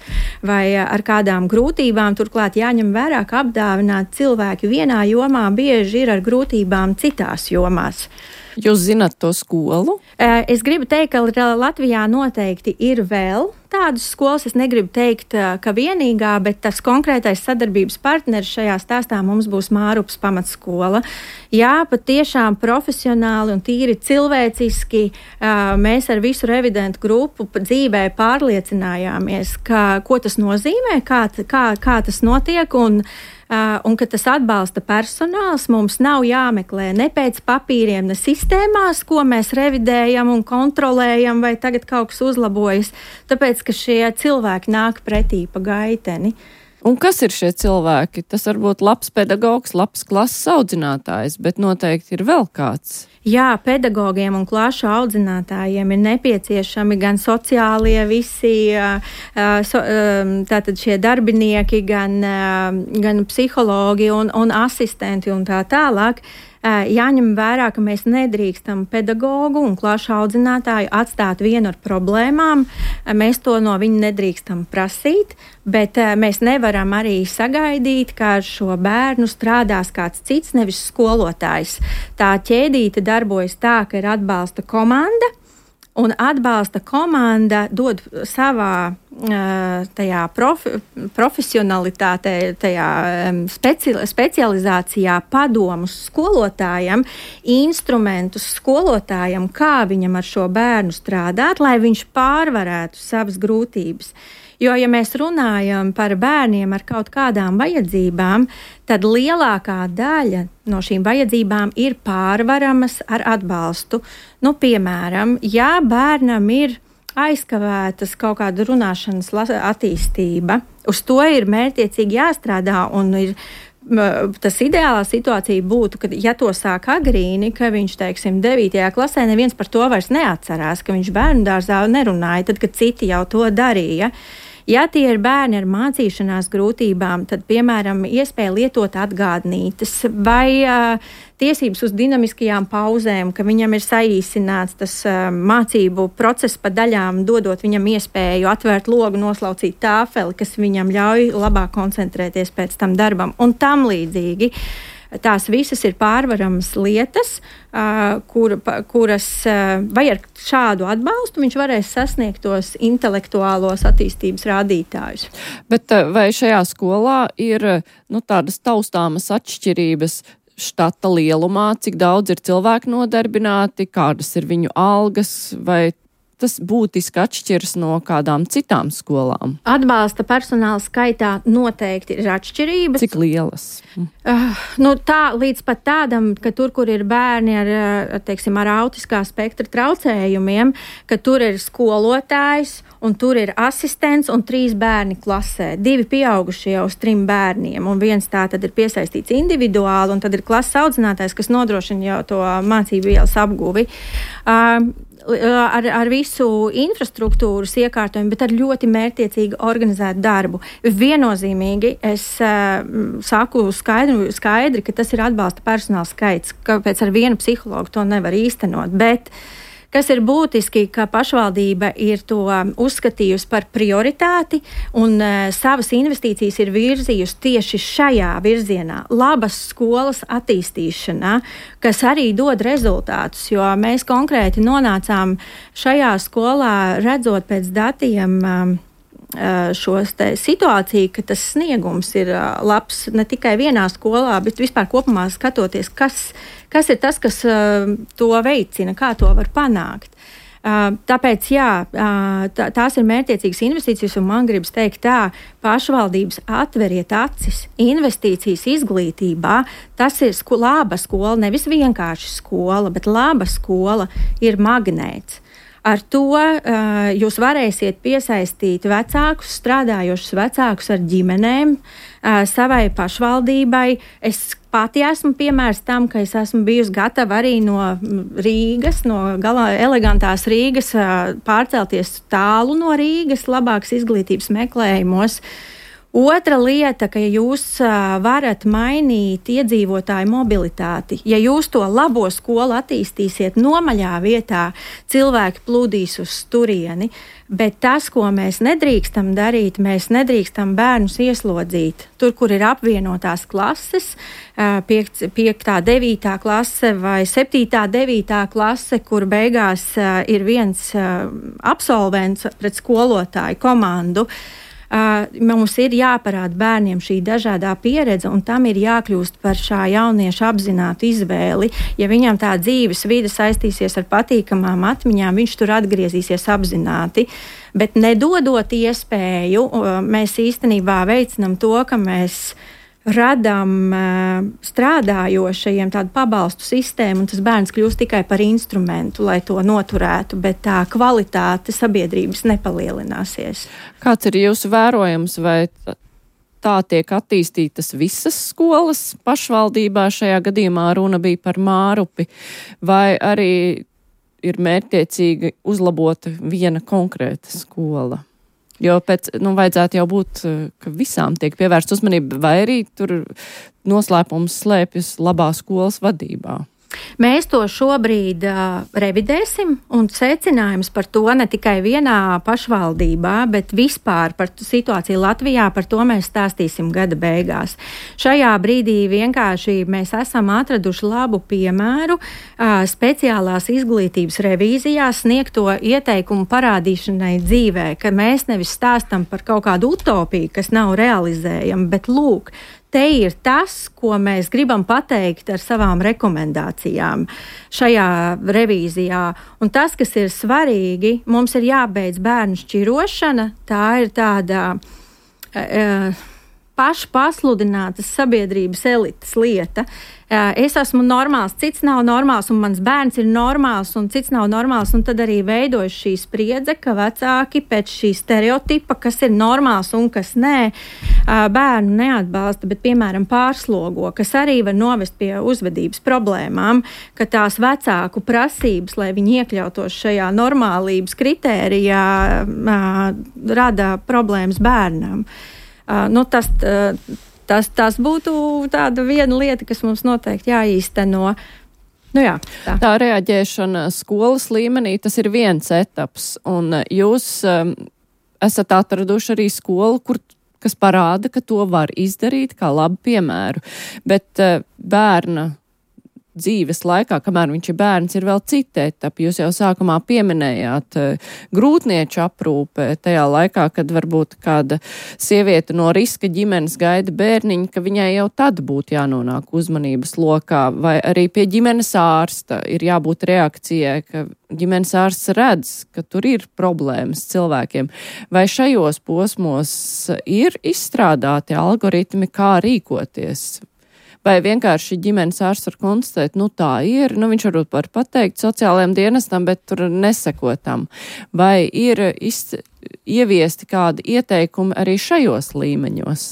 vai ar kādām grūtībām. Turklāt jāņem vērā, ka apdāvināti cilvēki vienā jomā bieži ir ar grūtībām citās jomās. Jūs zināt to skolu? Es gribu teikt, ka Latvijā noteikti ir vēl tādas skolas. Es negribu teikt, ka vienīgā, bet tas konkrētais sadarbības partneris šajā stāstā mums būs Mārupas pamatskola. Jā, patiešām profesionāli un tīri cilvēciski mēs ar visu revidentu grupu dzīvē pārliecinājāmies, ka, ko tas nozīmē, kā, kā, kā tas notiek un Uh, un ka tas atbalsta personāls mums nav jāmeklē ne pēc papīriem, ne sistēmās, ko mēs revidējam un kontrolējam, vai tagad kaut kas uzlabojas, tāpēc, ka šie cilvēki nāk pretī pa gaiteni. Un kas ir šie cilvēki? Tas var būt labs pedagogs, labs klases audzinātājs, bet noteikti ir vēl kāds. Jā, pedagogiem un klašu audzinātājiem ir nepieciešami gan sociālie visi, tātad šie darbinieki, gan, gan psihologi un, un asistenti un tā tālāk. Jāņem vērā, ka mēs nedrīkstam pedagogu un klašu audzinātāju atstāt vienu ar problēmām. Mēs to no viņa nedrīkstam prasīt, bet mēs nevaram arī sagaidīt, ka ar šo bērnu strādās kāds cits, nevis skolotājs. Tā ķēdīte darbojas tā, ka ir atbalsta komanda, un atbalsta komanda dod savā tajā profi, profesionalitātē, tajā speci, specializācijā padomus skolotājam, instrumentus skolotājam, kā viņam ar šo bērnu strādāt, lai viņš pārvarētu savas grūtības. Jo, ja mēs runājam par bērniem ar kaut kādām vajadzībām, tad lielākā daļa no šīm vajadzībām ir pārvaramas ar atbalstu. Nu, piemēram, ja bērnam ir aizkavētas kaut kāda runāšanas attīstība, uz to ir mērķiecīgi jāstrādā un ir. Tas ideālā situācija būtu, ka, ja to sāk agrīni, ka viņš, teiksim, devītajā klasē neviens par to vairs neatcerās, ka viņš bērnu dārzā nerunāja, tad, kad citi jau to darīja. Ja tie ir bērni ar mācīšanās grūtībām, tad, piemēram, iespēja lietot atgādnītes vai uh, tiesības uz dinamiskajām pauzēm, ka viņam ir saīsināts tas uh, mācību process pa daļām, dodot viņam iespēju atvērt logu, noslaucīt tāfeli, kas viņam ļauj labāk koncentrēties pēc tam darbam un tam līdzīgi. Tās visas ir pārvaramas lietas, uh, kur, pa, kuras uh, vai ar šādu atbalstu viņš varēs sasniegt tos intelektuālos attīstības rādītājus. Bet vai šajā skolā ir nu, tādas taustāmas atšķirības štata lielumā, cik daudz ir cilvēku nodarbināti, kādas ir viņu algas, vai tas būtiski atšķiras no kādām citām skolām? Atbalsta personāla skaitā noteikti ir atšķirības. Cik lielas? Uh, nu tā, līdz pat tādam, ka tur, kur ir bērni ar, teiksim, ar autiskā spektra traucējumiem, ka tur ir skolotājs un tur ir asistents un trīs bērni klasē. Divi pieaugušie uz trim bērniem un viens tā tad ir piesaistīts individuāli un tad ir klases audzinātājs, kas nodrošina jau to mācību vielas apguvi. Uh, Ar, ar visu infrastruktūras iekārtojumu, bet ar ļoti mērķiecīgi organizētu darbu. Viennozīmīgi es uh, saku skaidri, skaidri, ka tas ir atbalsta personāla skaits, kāpēc ar vienu psihologu to nevar īstenot, bet kas ir būtiski, ka pašvaldība ir to uzskatījusi par prioritāti un uh, savas investīcijas ir virzījusi tieši šajā virzienā, labas skolas attīstīšanā, kas arī dod rezultātus, jo mēs konkrēti nonācām šajā skolā, redzot pēc datiem um, šos te situāciju, ka tas sniegums ir labs ne tikai vienā skolā, bet vispār kopumā skatoties, kas, kas ir tas, kas to veicina, kā to var panākt. Tāpēc, jā, tā, tās ir mērķtiecīgas investīcijas, un man gribas teikt tā, pašvaldības atveriet acis, investīcijas izglītībā, tas ir sko, laba skola, nevis vienkārši skola, bet laba skola ir magnēts. Ar to uh, jūs varēsiet piesaistīt vecākus, strādājošus vecākus ar ģimenēm uh, savai pašvaldībai. Es pati esmu piemērs tam, ka es esmu bijusi gatava arī no Rīgas, no galā elegantās Rīgas uh, pārcelties tālu no Rīgas, labākas izglītības meklējumos. Otra lieta, ka jūs uh, varat mainīt iedzīvotāju mobilitāti. Ja jūs to labo skolu attīstīsiet nomaļā vietā, cilvēki plūdīs uz turieni, bet tas, ko mēs nedrīkstam darīt, mēs nedrīkstam bērnus ieslodzīt. Tur, kur ir apvienotās klases, uh, piektā, devītā klase vai septītā, devītā klase, kur beigās uh, ir viens uh, absolvents pret skolotāju komandu. Uh, mums ir jāparāda bērniem šī dažādā pieredze, un tam ir jākļūst par šā jaunieša apzinātu izvēli. Ja viņam tā dzīves vide saistīsies ar patīkamām atmiņām, viņš tur atgriezīsies apzināti. Bet nedodot iespēju, uh, mēs īstenībā veicinam to, ka mēs radām uh, strādājošajiem tādu pabalstu sistēmu, un tas bērns kļūst tikai par instrumentu, lai to noturētu, bet tā kvalitāte sabiedrības nepalielināsies. Kāds ir jūsu vērojums, vai tā tiek attīstītas visas skolas pašvaldībā? Šajā gadījumā runa bija par Mārupi, vai arī ir mērķtiecīgi uzlabota viena konkrēta skola? Jo pēc, nu, vajadzētu jau būt, ka visām tiek pievērsta uzmanība, vai arī tur noslēpums slēpjas labā skolas vadībā. Mēs to šobrīd uh, revidēsim, un secinājums par to ne tikai vienā pašvaldībā, bet vispār par situāciju Latvijā, par to mēs stāstīsim gada beigās. Šajā brīdī vienkārši mēs esam atraduši labu piemēru uh, speciālās izglītības revīzijās sniegto ieteikumu parādīšanai dzīvē, ka mēs nevis stāstam par kaut kādu utopiju, kas nav realizējama, bet lūk, te ir tas, ko mēs gribam pateikt ar savām rekomendācijām šajā revīzijā. Un tas, kas ir svarīgi, mums ir jābeidz bērnu šķirošana. Tā ir tāda uh, pašpasludinātas sabiedrības elites lieta. Uh, es esmu normāls, cits nav normāls, un mans bērns ir normāls, un cits nav normāls. Un tad arī veidojas šī spriedze, ka vecāki pēc šī stereotipa, kas ir normāls un kas nē, uh, bērnu neatbalsta, bet, piemēram, pārslogo, kas arī var novest pie uzvedības problēmām, ka tās vecāku prasības, lai viņi iekļautos šajā normālības kritērijā, uh, rada problēmas bērnam. Uh, nu, tas, uh, tas, tas būtu tāda viena lieta, kas mums noteikti jāīsteno. Nu, jā, tā. tā reaģēšana skolas līmenī, tas ir viens etaps, un jūs um, esat atraduši arī skolu, kur, kas parāda, ka to var izdarīt kā labu piemēru, bet uh, bērna dzīves laikā, kamēr viņš ir bērns, ir vēl cita etapa. Jūs jau sākumā pieminējāt uh, grūtnieču aprūpe tajā laikā, kad varbūt kāda sieviete no riska ģimenes gaida bērniņu, ka viņai jau tad būtu jānonāk uzmanības lokā, vai arī pie ģimenes ārsta ir jābūt reakcijai, ka ģimenes ārsts redz, ka tur ir problēmas cilvēkiem. Vai šajos posmos ir izstrādāti algoritmi, kā rīkoties? Vai vienkārši ģimenes ārsts var konstatēt, nu tā ir, nu viņš varbūt var pateikt sociālajiem dienestam, bet tur nesekotam. Vai ir iz, ieviesti kādi ieteikumi arī šajos līmeņos?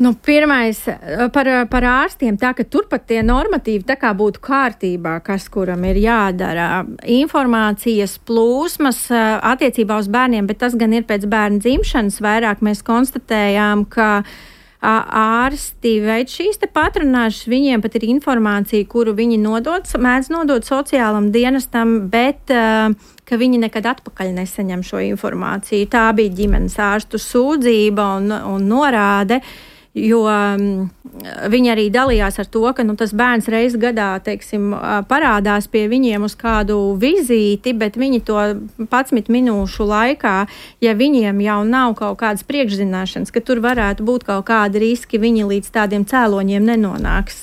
Nu, pirmais par, par ārstiem, tā ka turpat tie normatīvi tā kā būtu kārtībā, kas kuram ir jādara. Informācijas plūsmas attiecībā uz bērniem, bet tas gan ir pēc bērna dzimšanas vairāk. Mēs konstatējām, ka ārsti veids šīs te patronāžas, viņiem pat ir informācija, kuru viņi nodod, mēdz nodot sociālam dienestam, bet uh, ka viņi nekad atpakaļ nesaņem šo informāciju. Tā bija ģimenes ārstu sūdzība un, un norāde, Jo um, viņi arī dalījās ar to, ka nu, tas bērns reiz gadā, teiksim, parādās pie viņiem uz kādu vizīti, bet viņi to padsmit minūšu laikā, ja viņiem jau nav kaut kādas priekšzināšanas, ka tur varētu būt kaut kādi riski, viņi līdz tādiem cēloņiem nenonāks.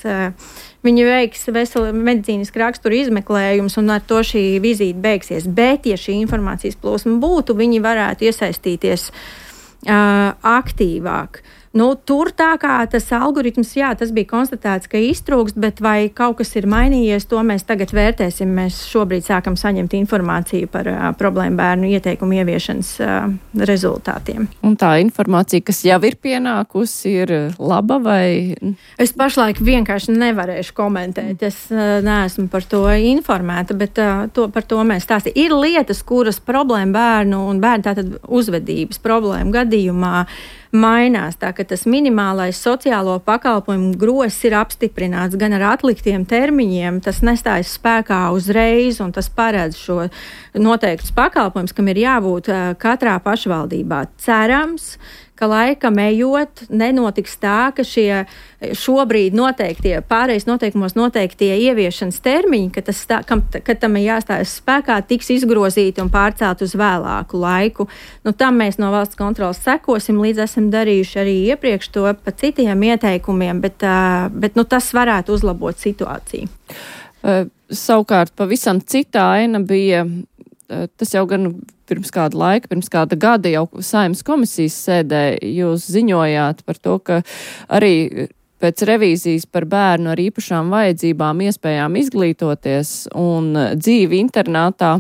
Viņi veiks veselu medicīnisku raksturu izmeklējumus, un ar to šī vizīte beigsies. Bet, ja šī informācijas plūsma būtu, viņi varētu iesaistīties uh, aktīvāk. Nu, tur tā kā tas algoritms, jā, tas bija konstatēts, ka iztrūkst, bet vai kaut kas ir mainījies, to mēs tagad vērtēsim. Mēs šobrīd sākam saņemt informāciju par uh, problēmu bērnu ieteikumu ieviešanas uh, rezultātiem. Un tā informācija, kas jau ir pienākusi, ir laba vai? Es pašlaik vienkārši nevarēšu komentēt. Es uh, neesmu par to informēta, bet uh, to, par to mēs stāstījām. Ir lietas, kuras problēma bērnu un bērnu tātad uzvedības problēmu gadījumā mainās, tā ka tas minimālais sociālo pakalpojumu gross ir apstiprināts gan ar atliktiem termiņiem, tas nestājas spēkā uzreiz, un tas paredz šo noteiktus pakalpojumus, kam ir jābūt uh, katrā pašvaldībā. Cerams, ka laikam ejot nenotiks tā, ka šie šobrīd noteiktie, pārējais noteikumos noteiktie ieviešanas termiņi, ka, tas tā, kam, ka tam ir jāstājas spēkā, tiks izgrozīti un pārcelt uz vēlāku laiku. Nu, tam mēs no valsts kontrolas sekosim, līdz esam darījuši arī iepriekš to pa citiem ieteikumiem, bet, uh, bet nu, tas varētu uzlabot situāciju. Uh, savukārt pavisam cita aina bija, uh, tas jau gan pirms kāda laika, pirms kāda gada jau Saeimas komisijas sēdē jūs ziņojāt par to, ka arī pēc revīzijas par bērnu ar īpašām vajadzībām iespējām izglītoties un dzīvi internātā,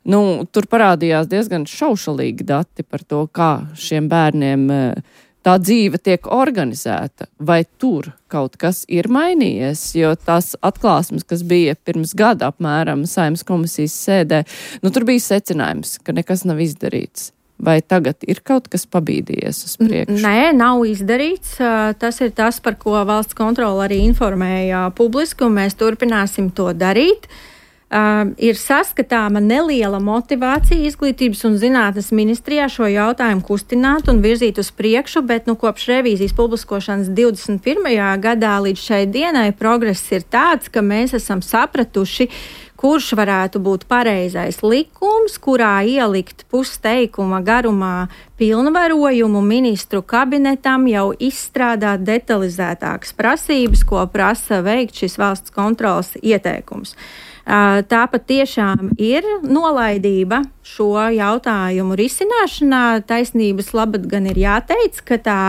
nu, tur parādījās diezgan šaušalīgi dati par to, kā šiem bērniem tā dzīve tiek organizēta. Vai tur kaut kas ir mainījies? Jo tās atklāsmes, kas bija pirms gada apmēram Saeimas komisijas sēdē, nu tur bija secinājums, ka nekas nav izdarīts. Vai tagad ir kaut kas pabīdījies uz priekšu? Nē, nav izdarīts. Tas ir tas, par ko valsts kontrole arī informēja publiski, un mēs turpināsim to darīt. Uh, ir saskatāma neliela motivācija izglītības un zinātnes ministrijā šo jautājumu kustināt un virzīt uz priekšu, bet nu, kopš revīzijas publiskošanas divdesmit pirmajā gadā līdz šai dienai progress ir tāds, ka mēs esam sapratuši, kurš varētu būt pareizais likums, kurā ielikt pusteikuma garumā pilnvarojumu ministru kabinetam jau izstrādāt detalizētākas prasības, ko prasa veikt šis valsts kontrolas ieteikums. Tā pat tiešām ir nolaidība šo jautājumu risināšanā. Taisnības labad gan ir jāteic, ka tā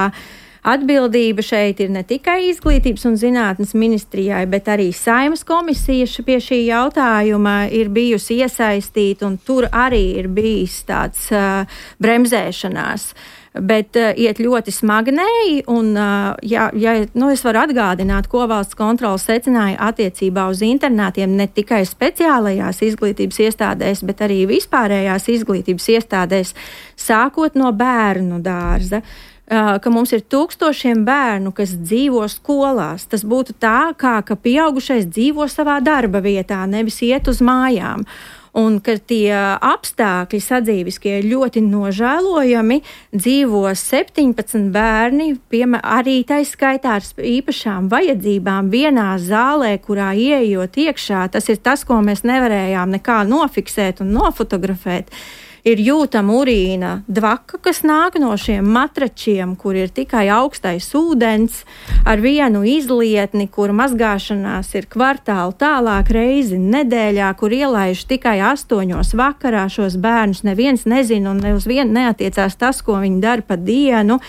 atbildība šeit ir ne tikai izglītības un zinātnes ministrijai, bet arī Saeimas komisija pie šī jautājuma ir bijusi iesaistīta, un tur arī ir bijis tāds uh, bremzēšanās. Bet uh, iet ļoti smagnēji, un uh, ja, ja, nu, es varu atgādināt, ko valsts kontrole secināja attiecībā uz internātiem ne tikai speciālajās izglītības iestādēs, bet arī vispārējās izglītības iestādēs, sākot no bērnu dārza. Uh, ka mums ir tūkstošiem bērnu, kas dzīvo skolās. Tas būtu tā, kā ka pieaugušais dzīvo savā darba vietā, nevis iet uz mājām. Un ka tie apstākļi sadzīviskie ir ļoti nožēlojami, dzīvo septiņpadsmit bērni, piemēram, arī taiskaitā ar īpašām vajadzībām vienā zālē, kurā ieejot iekšā. Tas ir tas, ko mēs nevarējām nekā nofiksēt un nofotografēt. Ir jūtama urīna dvaka, kas nāk no šiem matračiem, kur ir tikai augstais ūdens, ar vienu izlietni, kur mazgāšanās ir kvartālu tālāk reizi nedēļā, kur ielaiž tikai astoņos vakarā šos bērnus. Neviens nezina un ne uz vienu neatiecās tas, ko viņi dara pa dienu.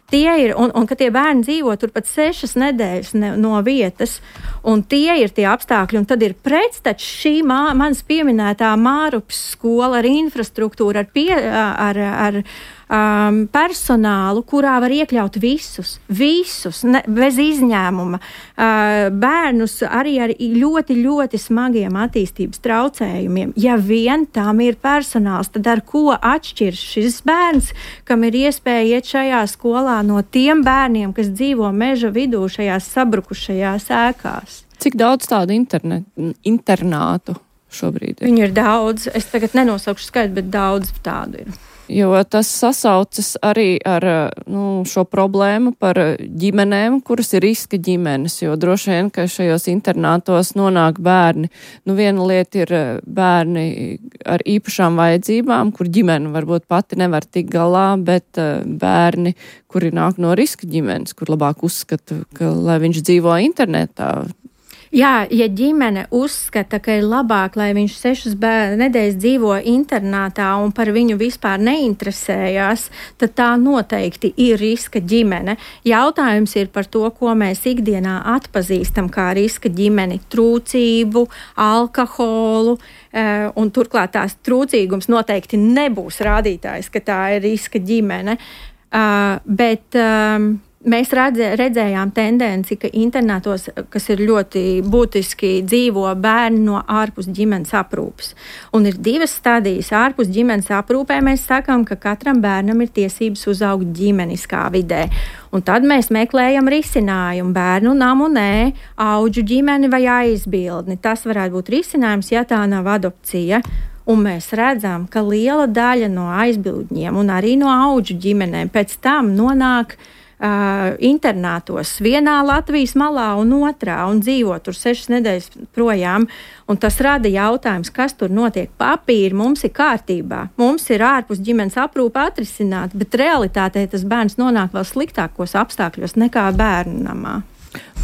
Tie ir, un, un ka tie bērni dzīvo tur pat sešas nedēļas ne, no vietas, un tie ir tie apstākļi, un tad ir pretstats šī mā, manas pieminētā Mārupas skola ar infrastruktūru, ar, pie, ar, ar um, personālu, kurā var iekļaut visus, visus, ne, bez izņēmuma, uh, bērnus arī ar ļoti, ļoti smagiem attīstības traucējumiem. Ja vien tam ir personāls, tad ar ko atšķirs šis bērns, kam ir iespēja iet šajā skolā no tiem bērniem, kas dzīvo meža vidū šajās sabrukušajās ēkās? Cik daudz tādu internet, internātu šobrīd ir? Viņu ir daudz. Es tagad nenosaukšu skaitu, bet daudz tādu ir. Jo tas sasaucas arī ar nu, šo problēmu par ģimenēm, kuras ir riska ģimenes, jo droši vien, ka šajos internātos nonāk bērni. Nu, viena lieta ir bērni ar īpašām vajadzībām, kur ģimene varbūt pati nevar tikt galā, bet bērni, kuri nāk no riska ģimenes, kur labāk uzskata, ka, lai viņš dzīvo internetā. Jā, ja ģimene uzskata, ka ir labāk, lai viņš sešas nedēļas dzīvo internātā un par viņu vispār neinteresējās, tad tā noteikti ir riska ģimene. Jautājums ir par to, ko mēs ikdienā atpazīstam kā riska ģimeni - trūcību, alkoholu, un turklāt tās trūcīgums noteikti nebūs rādītājs, ka tā ir riska ģimene. Bet mēs redzē, redzējām tendenci, ka internātos, kas ir ļoti būtiski, dzīvo bērni no ārpus ģimenes aprūpes. Un ir divas stadijas. Ārpus ģimenes aprūpē mēs sakām, ka katram bērnam ir tiesības uzaugt ģimeniskā vidē. Un tad mēs meklējam risinājumu bērnu namu, nē, audžu ģimeni vai aizbildni. Tas varētu būt risinājums, ja tā nav adopcija. Un mēs redzam, ka liela daļa no aizbildņiem un arī no audžu ģimenēm pēc tam nonāk Uh, internātos vienā Latvijas malā un otrā un dzīvo tur sešas nedēļas projām. Un tas rada jautājums, kas tur notiek. Papīri mums ir kārtībā, mums ir ārpus ģimenes aprūpe atrisināta, bet realitātē tas bērns nonāk vēl sliktākos apstākļos nekā bērnu namā.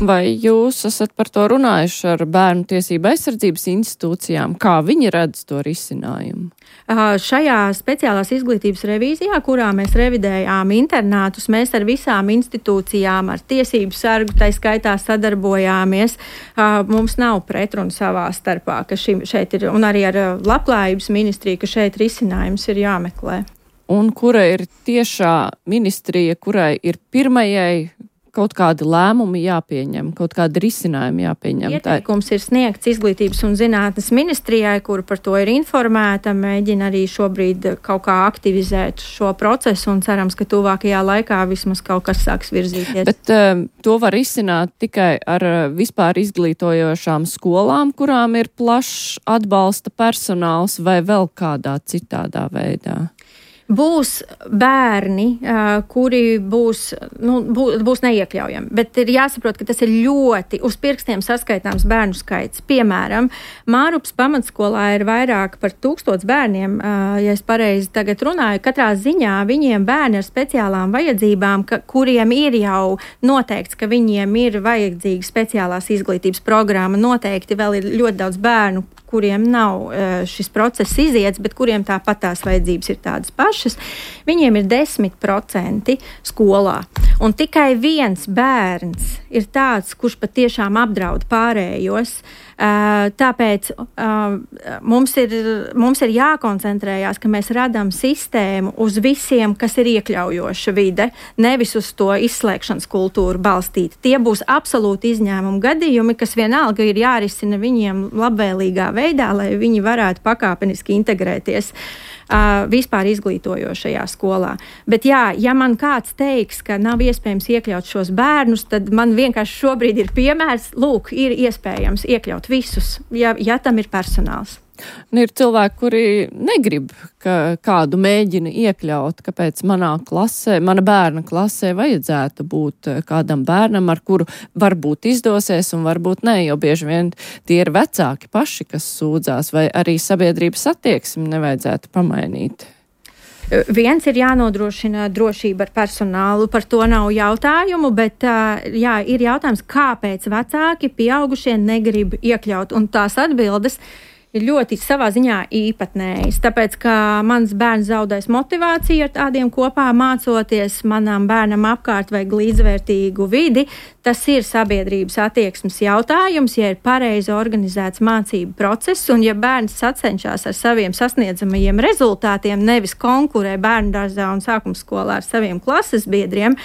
Vai jūs esat par to runājuši ar bērnu tiesību aizsardzības institūcijām? Kā viņi redz to risinājumu? Uh, šajā speciālās izglītības revīzijā, kurā mēs revidējām internātus, mēs ar visām institūcijām, ar tiesību sargu, tai skaitā sadarbojāmies. Uh, mums nav pretrunu savā starpā, ka šim, šeit ir, un arī ar labklājības ministriju, ka šeit risinājums ir jāmeklē. Un kura ir tiešā ministrija, kurai ir pirmajai kaut kādi lēmumi jāpieņem, kaut kādi risinājumi jāpieņem? Ieteikums ir sniegts Izglītības un zinātnes ministrijai, kur par to ir informēta, mēģina arī šobrīd kaut kā aktivizēt šo procesu un cerams, ka tuvākajā laikā vismaz kaut kas sāks virzīties. Bet um, to var izsināt tikai ar vispār izglītojošām skolām, kurām ir plašs atbalsta personāls vai vēl kādā citādā veidā? Būs bērni, uh, kuri būs, nu, būs, būs neiekļaujami, bet ir jāsaprot, ka tas ir ļoti uz pirkstiem saskaitāms bērnu skaits. Piemēram, Mārupas pamatskolā ir vairāk par tūkstots bērniem, uh, ja es pareizi tagad runāju. Katrā ziņā viņiem bērni ar speciālām vajadzībām, ka, kuriem ir jau noteikts, ka viņiem ir vajadzīga speciālās izglītības programma. Noteikti vēl ir ļoti daudz bērnu, kuriem nav šis process iziets, bet kuriem tāpat tās vajadzības ir tādas pašas, viņiem ir desmit procenti skolā. Un tikai viens bērns ir tāds, kurš patiešām apdraud pārējos. Tāpēc mums ir, mums ir jākoncentrējās, ka mēs radām sistēmu uz visiem, kas ir iekļaujoša vide, nevis uz to izslēgšanas kultūru balstīta. Tie būs absolūti izņēmumu gadījumi, kas vienalga ir jārisina viņiem labvēlīgā veidā, lai viņi varētu pakāpeniski integrēties Uh, vispār izglītojošajā skolā. Bet jā, ja man kāds teiks, ka nav iespējams iekļaut šos bērnus, tad man vienkārši šobrīd ir piemērs, lūk, ir iespējams iekļaut visus, ja, ja tam ir personāls. Un ir cilvēki, kuri negrib, ka kādu mēģina iekļaut, kāpēc manā klasē, mana bērna klasē vajadzētu būt kādam bērnam, ar kuru varbūt izdosies un varbūt ne, jo bieži vien tie ir vecāki paši, kas sūdzās, vai arī sabiedrības attieksmi nevajadzētu pamainīt. Viens ir jānodrošina drošība ar personālu, par to nav jautājumu, bet jā, ir jautājums, kāpēc vecāki pieaugušie negrib iekļaut, un tās atbildes ir ļoti savā ziņā īpatnējas, tāpēc, ka mans bērns zaudēs motivāciju ar tādiem kopā mācoties, manam bērnam apkārt vajag līdzvērtīgu vidi. Tas ir sabiedrības attieksmes jautājums, ja ir pareizi organizēts mācību process, un ja bērns sacenšas ar saviem sasniedzamajiem rezultātiem, nevis konkurē bērndārzā un sākumskolā ar saviem klases biedriem,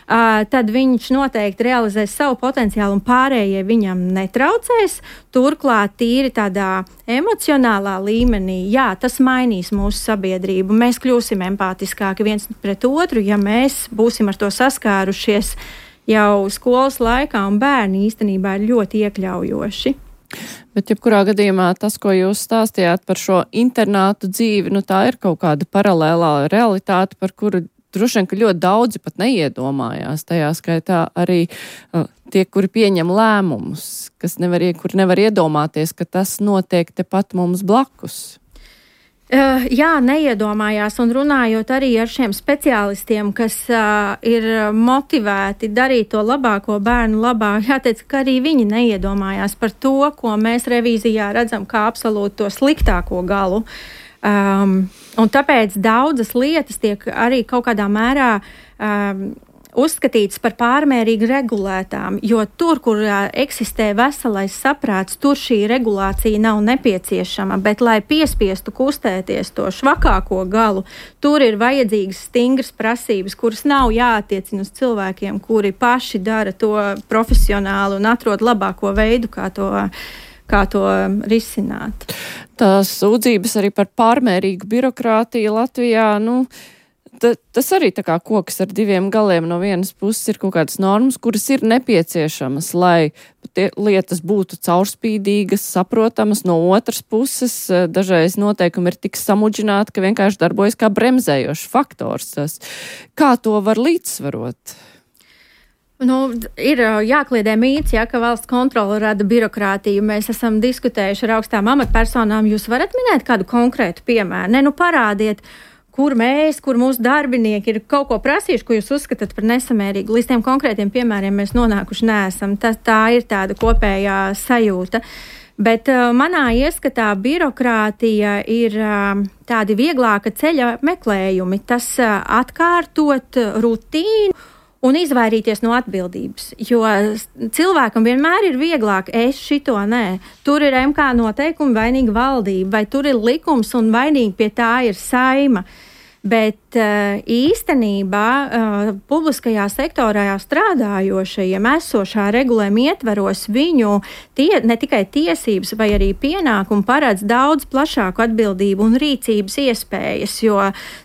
Uh, tad viņš noteikti realizēs savu potenciālu un pārējie viņam netraucēs. Turklāt tīri tādā emocionālā līmenī, jā, tas mainīs mūsu sabiedrību. Mēs kļūsim empātiskāki viens pret otru, ja mēs būsim ar to saskārušies jau skolas laikā, un bērni īstenībā ir ļoti iekļaujoši. Bet jebkurā gadījumā tas, ko jūs stāstījāt par šo internātu dzīvi, nu tā ir kaut kāda paralēlā realitāte, par kuru droši vien, ka ļoti daudzi pat neiedomājās. Tajā skaitā arī uh, tie, kuri pieņem lēmumus, kas nevar, kur nevar iedomāties, ka tas notiek tepat mums blakus. Uh, jā, neiedomājās, un runājot arī ar šiem speciālistiem, kas uh, ir motivēti darīt to labāko bērnu labā, jāteic, ka arī viņi neiedomājās par to, ko mēs revīzijā redzam kā absolūti to sliktāko galu. Um, un tāpēc daudzas lietas tiek arī kaut kādā mērā um, uzskatīts par pārmērīgi regulētām, jo tur, kur uh, eksistē veselais saprāts, tur šī regulācija nav nepieciešama, bet, lai piespiestu kustēties to švakāko galu, tur ir vajadzīgas stingras prasības, kuras nav jāattiecina uz cilvēkiem, kuri paši dara to profesionāli un atrod labāko veidu, kā to kā to risināt. Tās sūdzības arī par pārmērīgu birokrātiju Latvijā, nu, ta, tas arī tā kā koks ar diviem galiem. No vienas puses ir kaut kādas normas, kuras ir nepieciešamas, lai tie lietas būtu caurspīdīgas, saprotamas. No otras puses, dažreiz noteikumi ir tik samudžināti, ka vienkārši darbojas kā bremzējošs faktors. Tas. Kā to var līdzsvarot? Nu, ir jākliedē mīts, ja, ka valsts kontrole rada birokrātiju. Mēs esam diskutējuši ar augstām amatpersonām. Jūs varat minēt kādu konkrētu piemēru? Ne, nu parādiet, kur mēs, kur mūsu darbinieki ir kaut ko prasījuši, ko jūs uzskatāt par nesamērīgu. Līdz tiem konkrētiem piemēriem mēs nonākuši neesam. Tā, tā ir tāda kopējā sajūta. Bet uh, manā ieskatā birokrātija ir uh, tādi vieglāka ceļa meklējumi. Tas uh, atkārtot rutīnu un izvairīties no atbildības, jo cilvēkam vienmēr ir vieglāk, es šito nē. Tur ir M K noteikumi, vainīga valdība, vai tur ir likums un vainīgi pie tā ir Saima. Bet uh, īstenībā uh, publiskajā sektorā strādājošajiem esošā regulējuma ietveros viņu tie, ne tikai tiesības vai arī pienākumi paredz daudz plašāku atbildību un rīcības iespējas, jo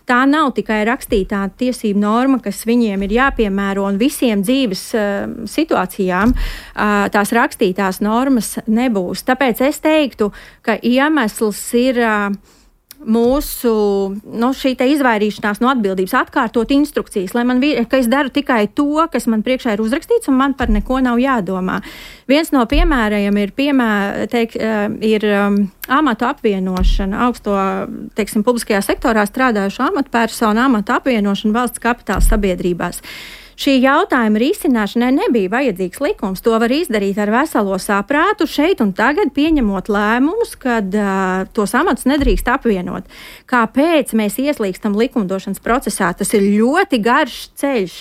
tā nav tikai rakstītā tiesību norma, kas viņiem ir jāpiemēro, un visiem dzīves uh, situācijām uh, tās rakstītās normas nebūs. Tāpēc es teiktu, ka iemesls ir uh, mūsu nu, šī te izvairīšanās no atbildības, atkārtot instrukcijas, lai man, ka es daru tikai to, kas man priekšā ir uzrakstīts, un man par neko nav jādomā. Viens no piemēriem ir, piemēr, teik, ir um, amatu apvienošana, augsto, teiksim, publiskajā sektorā strādājušo amatpersonu amatu apvienošana valsts kapitāla sabiedrībās. Šī jautājuma risināšanai nebija vajadzīgs likums. To var izdarīt ar veselo saprātu šeit un tagad, pieņemot lēmumus, kad uh, tos amatus nedrīkst apvienot. Kāpēc mēs ieslīgstam likumdošanas procesā? Tas ir ļoti garš ceļš.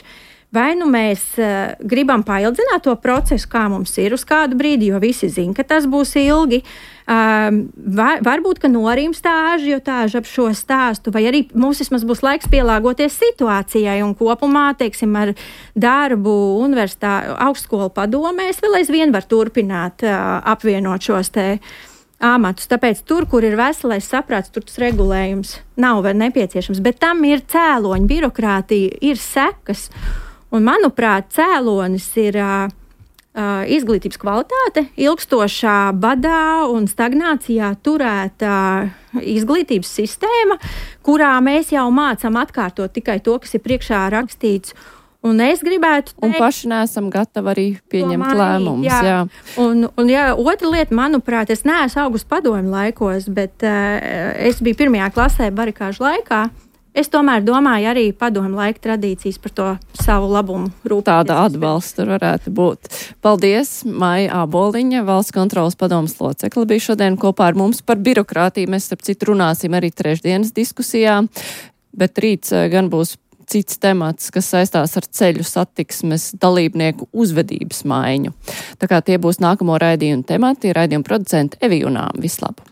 Vai nu mēs uh, gribam paildzināt to procesu, kā mums ir uz kādu brīdi, jo visi zina, ka tas būs ilgi. Um, var, varbūt, ka norimstā ažiotāža ap šo stāstu, vai arī mums vismaz būs laiks pielāgoties situācijai un kopumā, teiksim, ar darbu universitāti, augstskolu padomēs vēl aizvien var turpināt uh, apvienot šos te amatus. Tāpēc tur, kur ir veselais saprāts, tur tas regulējums nav vēl nepieciešams, bet tam ir cēloņi, birokrātija, ir sekas. Un, manuprāt, cēlonis ir uh, Uh, izglītības kvalitāte, ilgstošā badā un stagnācijā turēta izglītības sistēma, kurā mēs jau mācām atkārtot tikai to, kas ir priekšā rakstīts. Un es gribētu teikt, un paši neesam gatavi arī pieņemt lēmumus. Jā. Jā. Un, un jā, otra lieta, manuprāt, es neesmu augustu padomju laikos, bet uh, es biju pirmajā klasē barikāžu laikā. Es tomēr domāju arī padomju laika tradīcijas par to savu labumu rūpēties. Tāda atbalsta varētu būt. Paldies, Maija Āboliņa, Valsts kontrolas padomes locekle, bija šodien kopā ar mums par birokrātiju. Mēs, starp citu, runāsim arī trešdienas diskusijā, bet rīts gan būs cits temats, kas saistās ar ceļu satiksmes dalībnieku uzvedības maiņu. Tā kā tie būs nākamo raidījumu temati, raidījumu producenti Evi Junām. Vislabāk!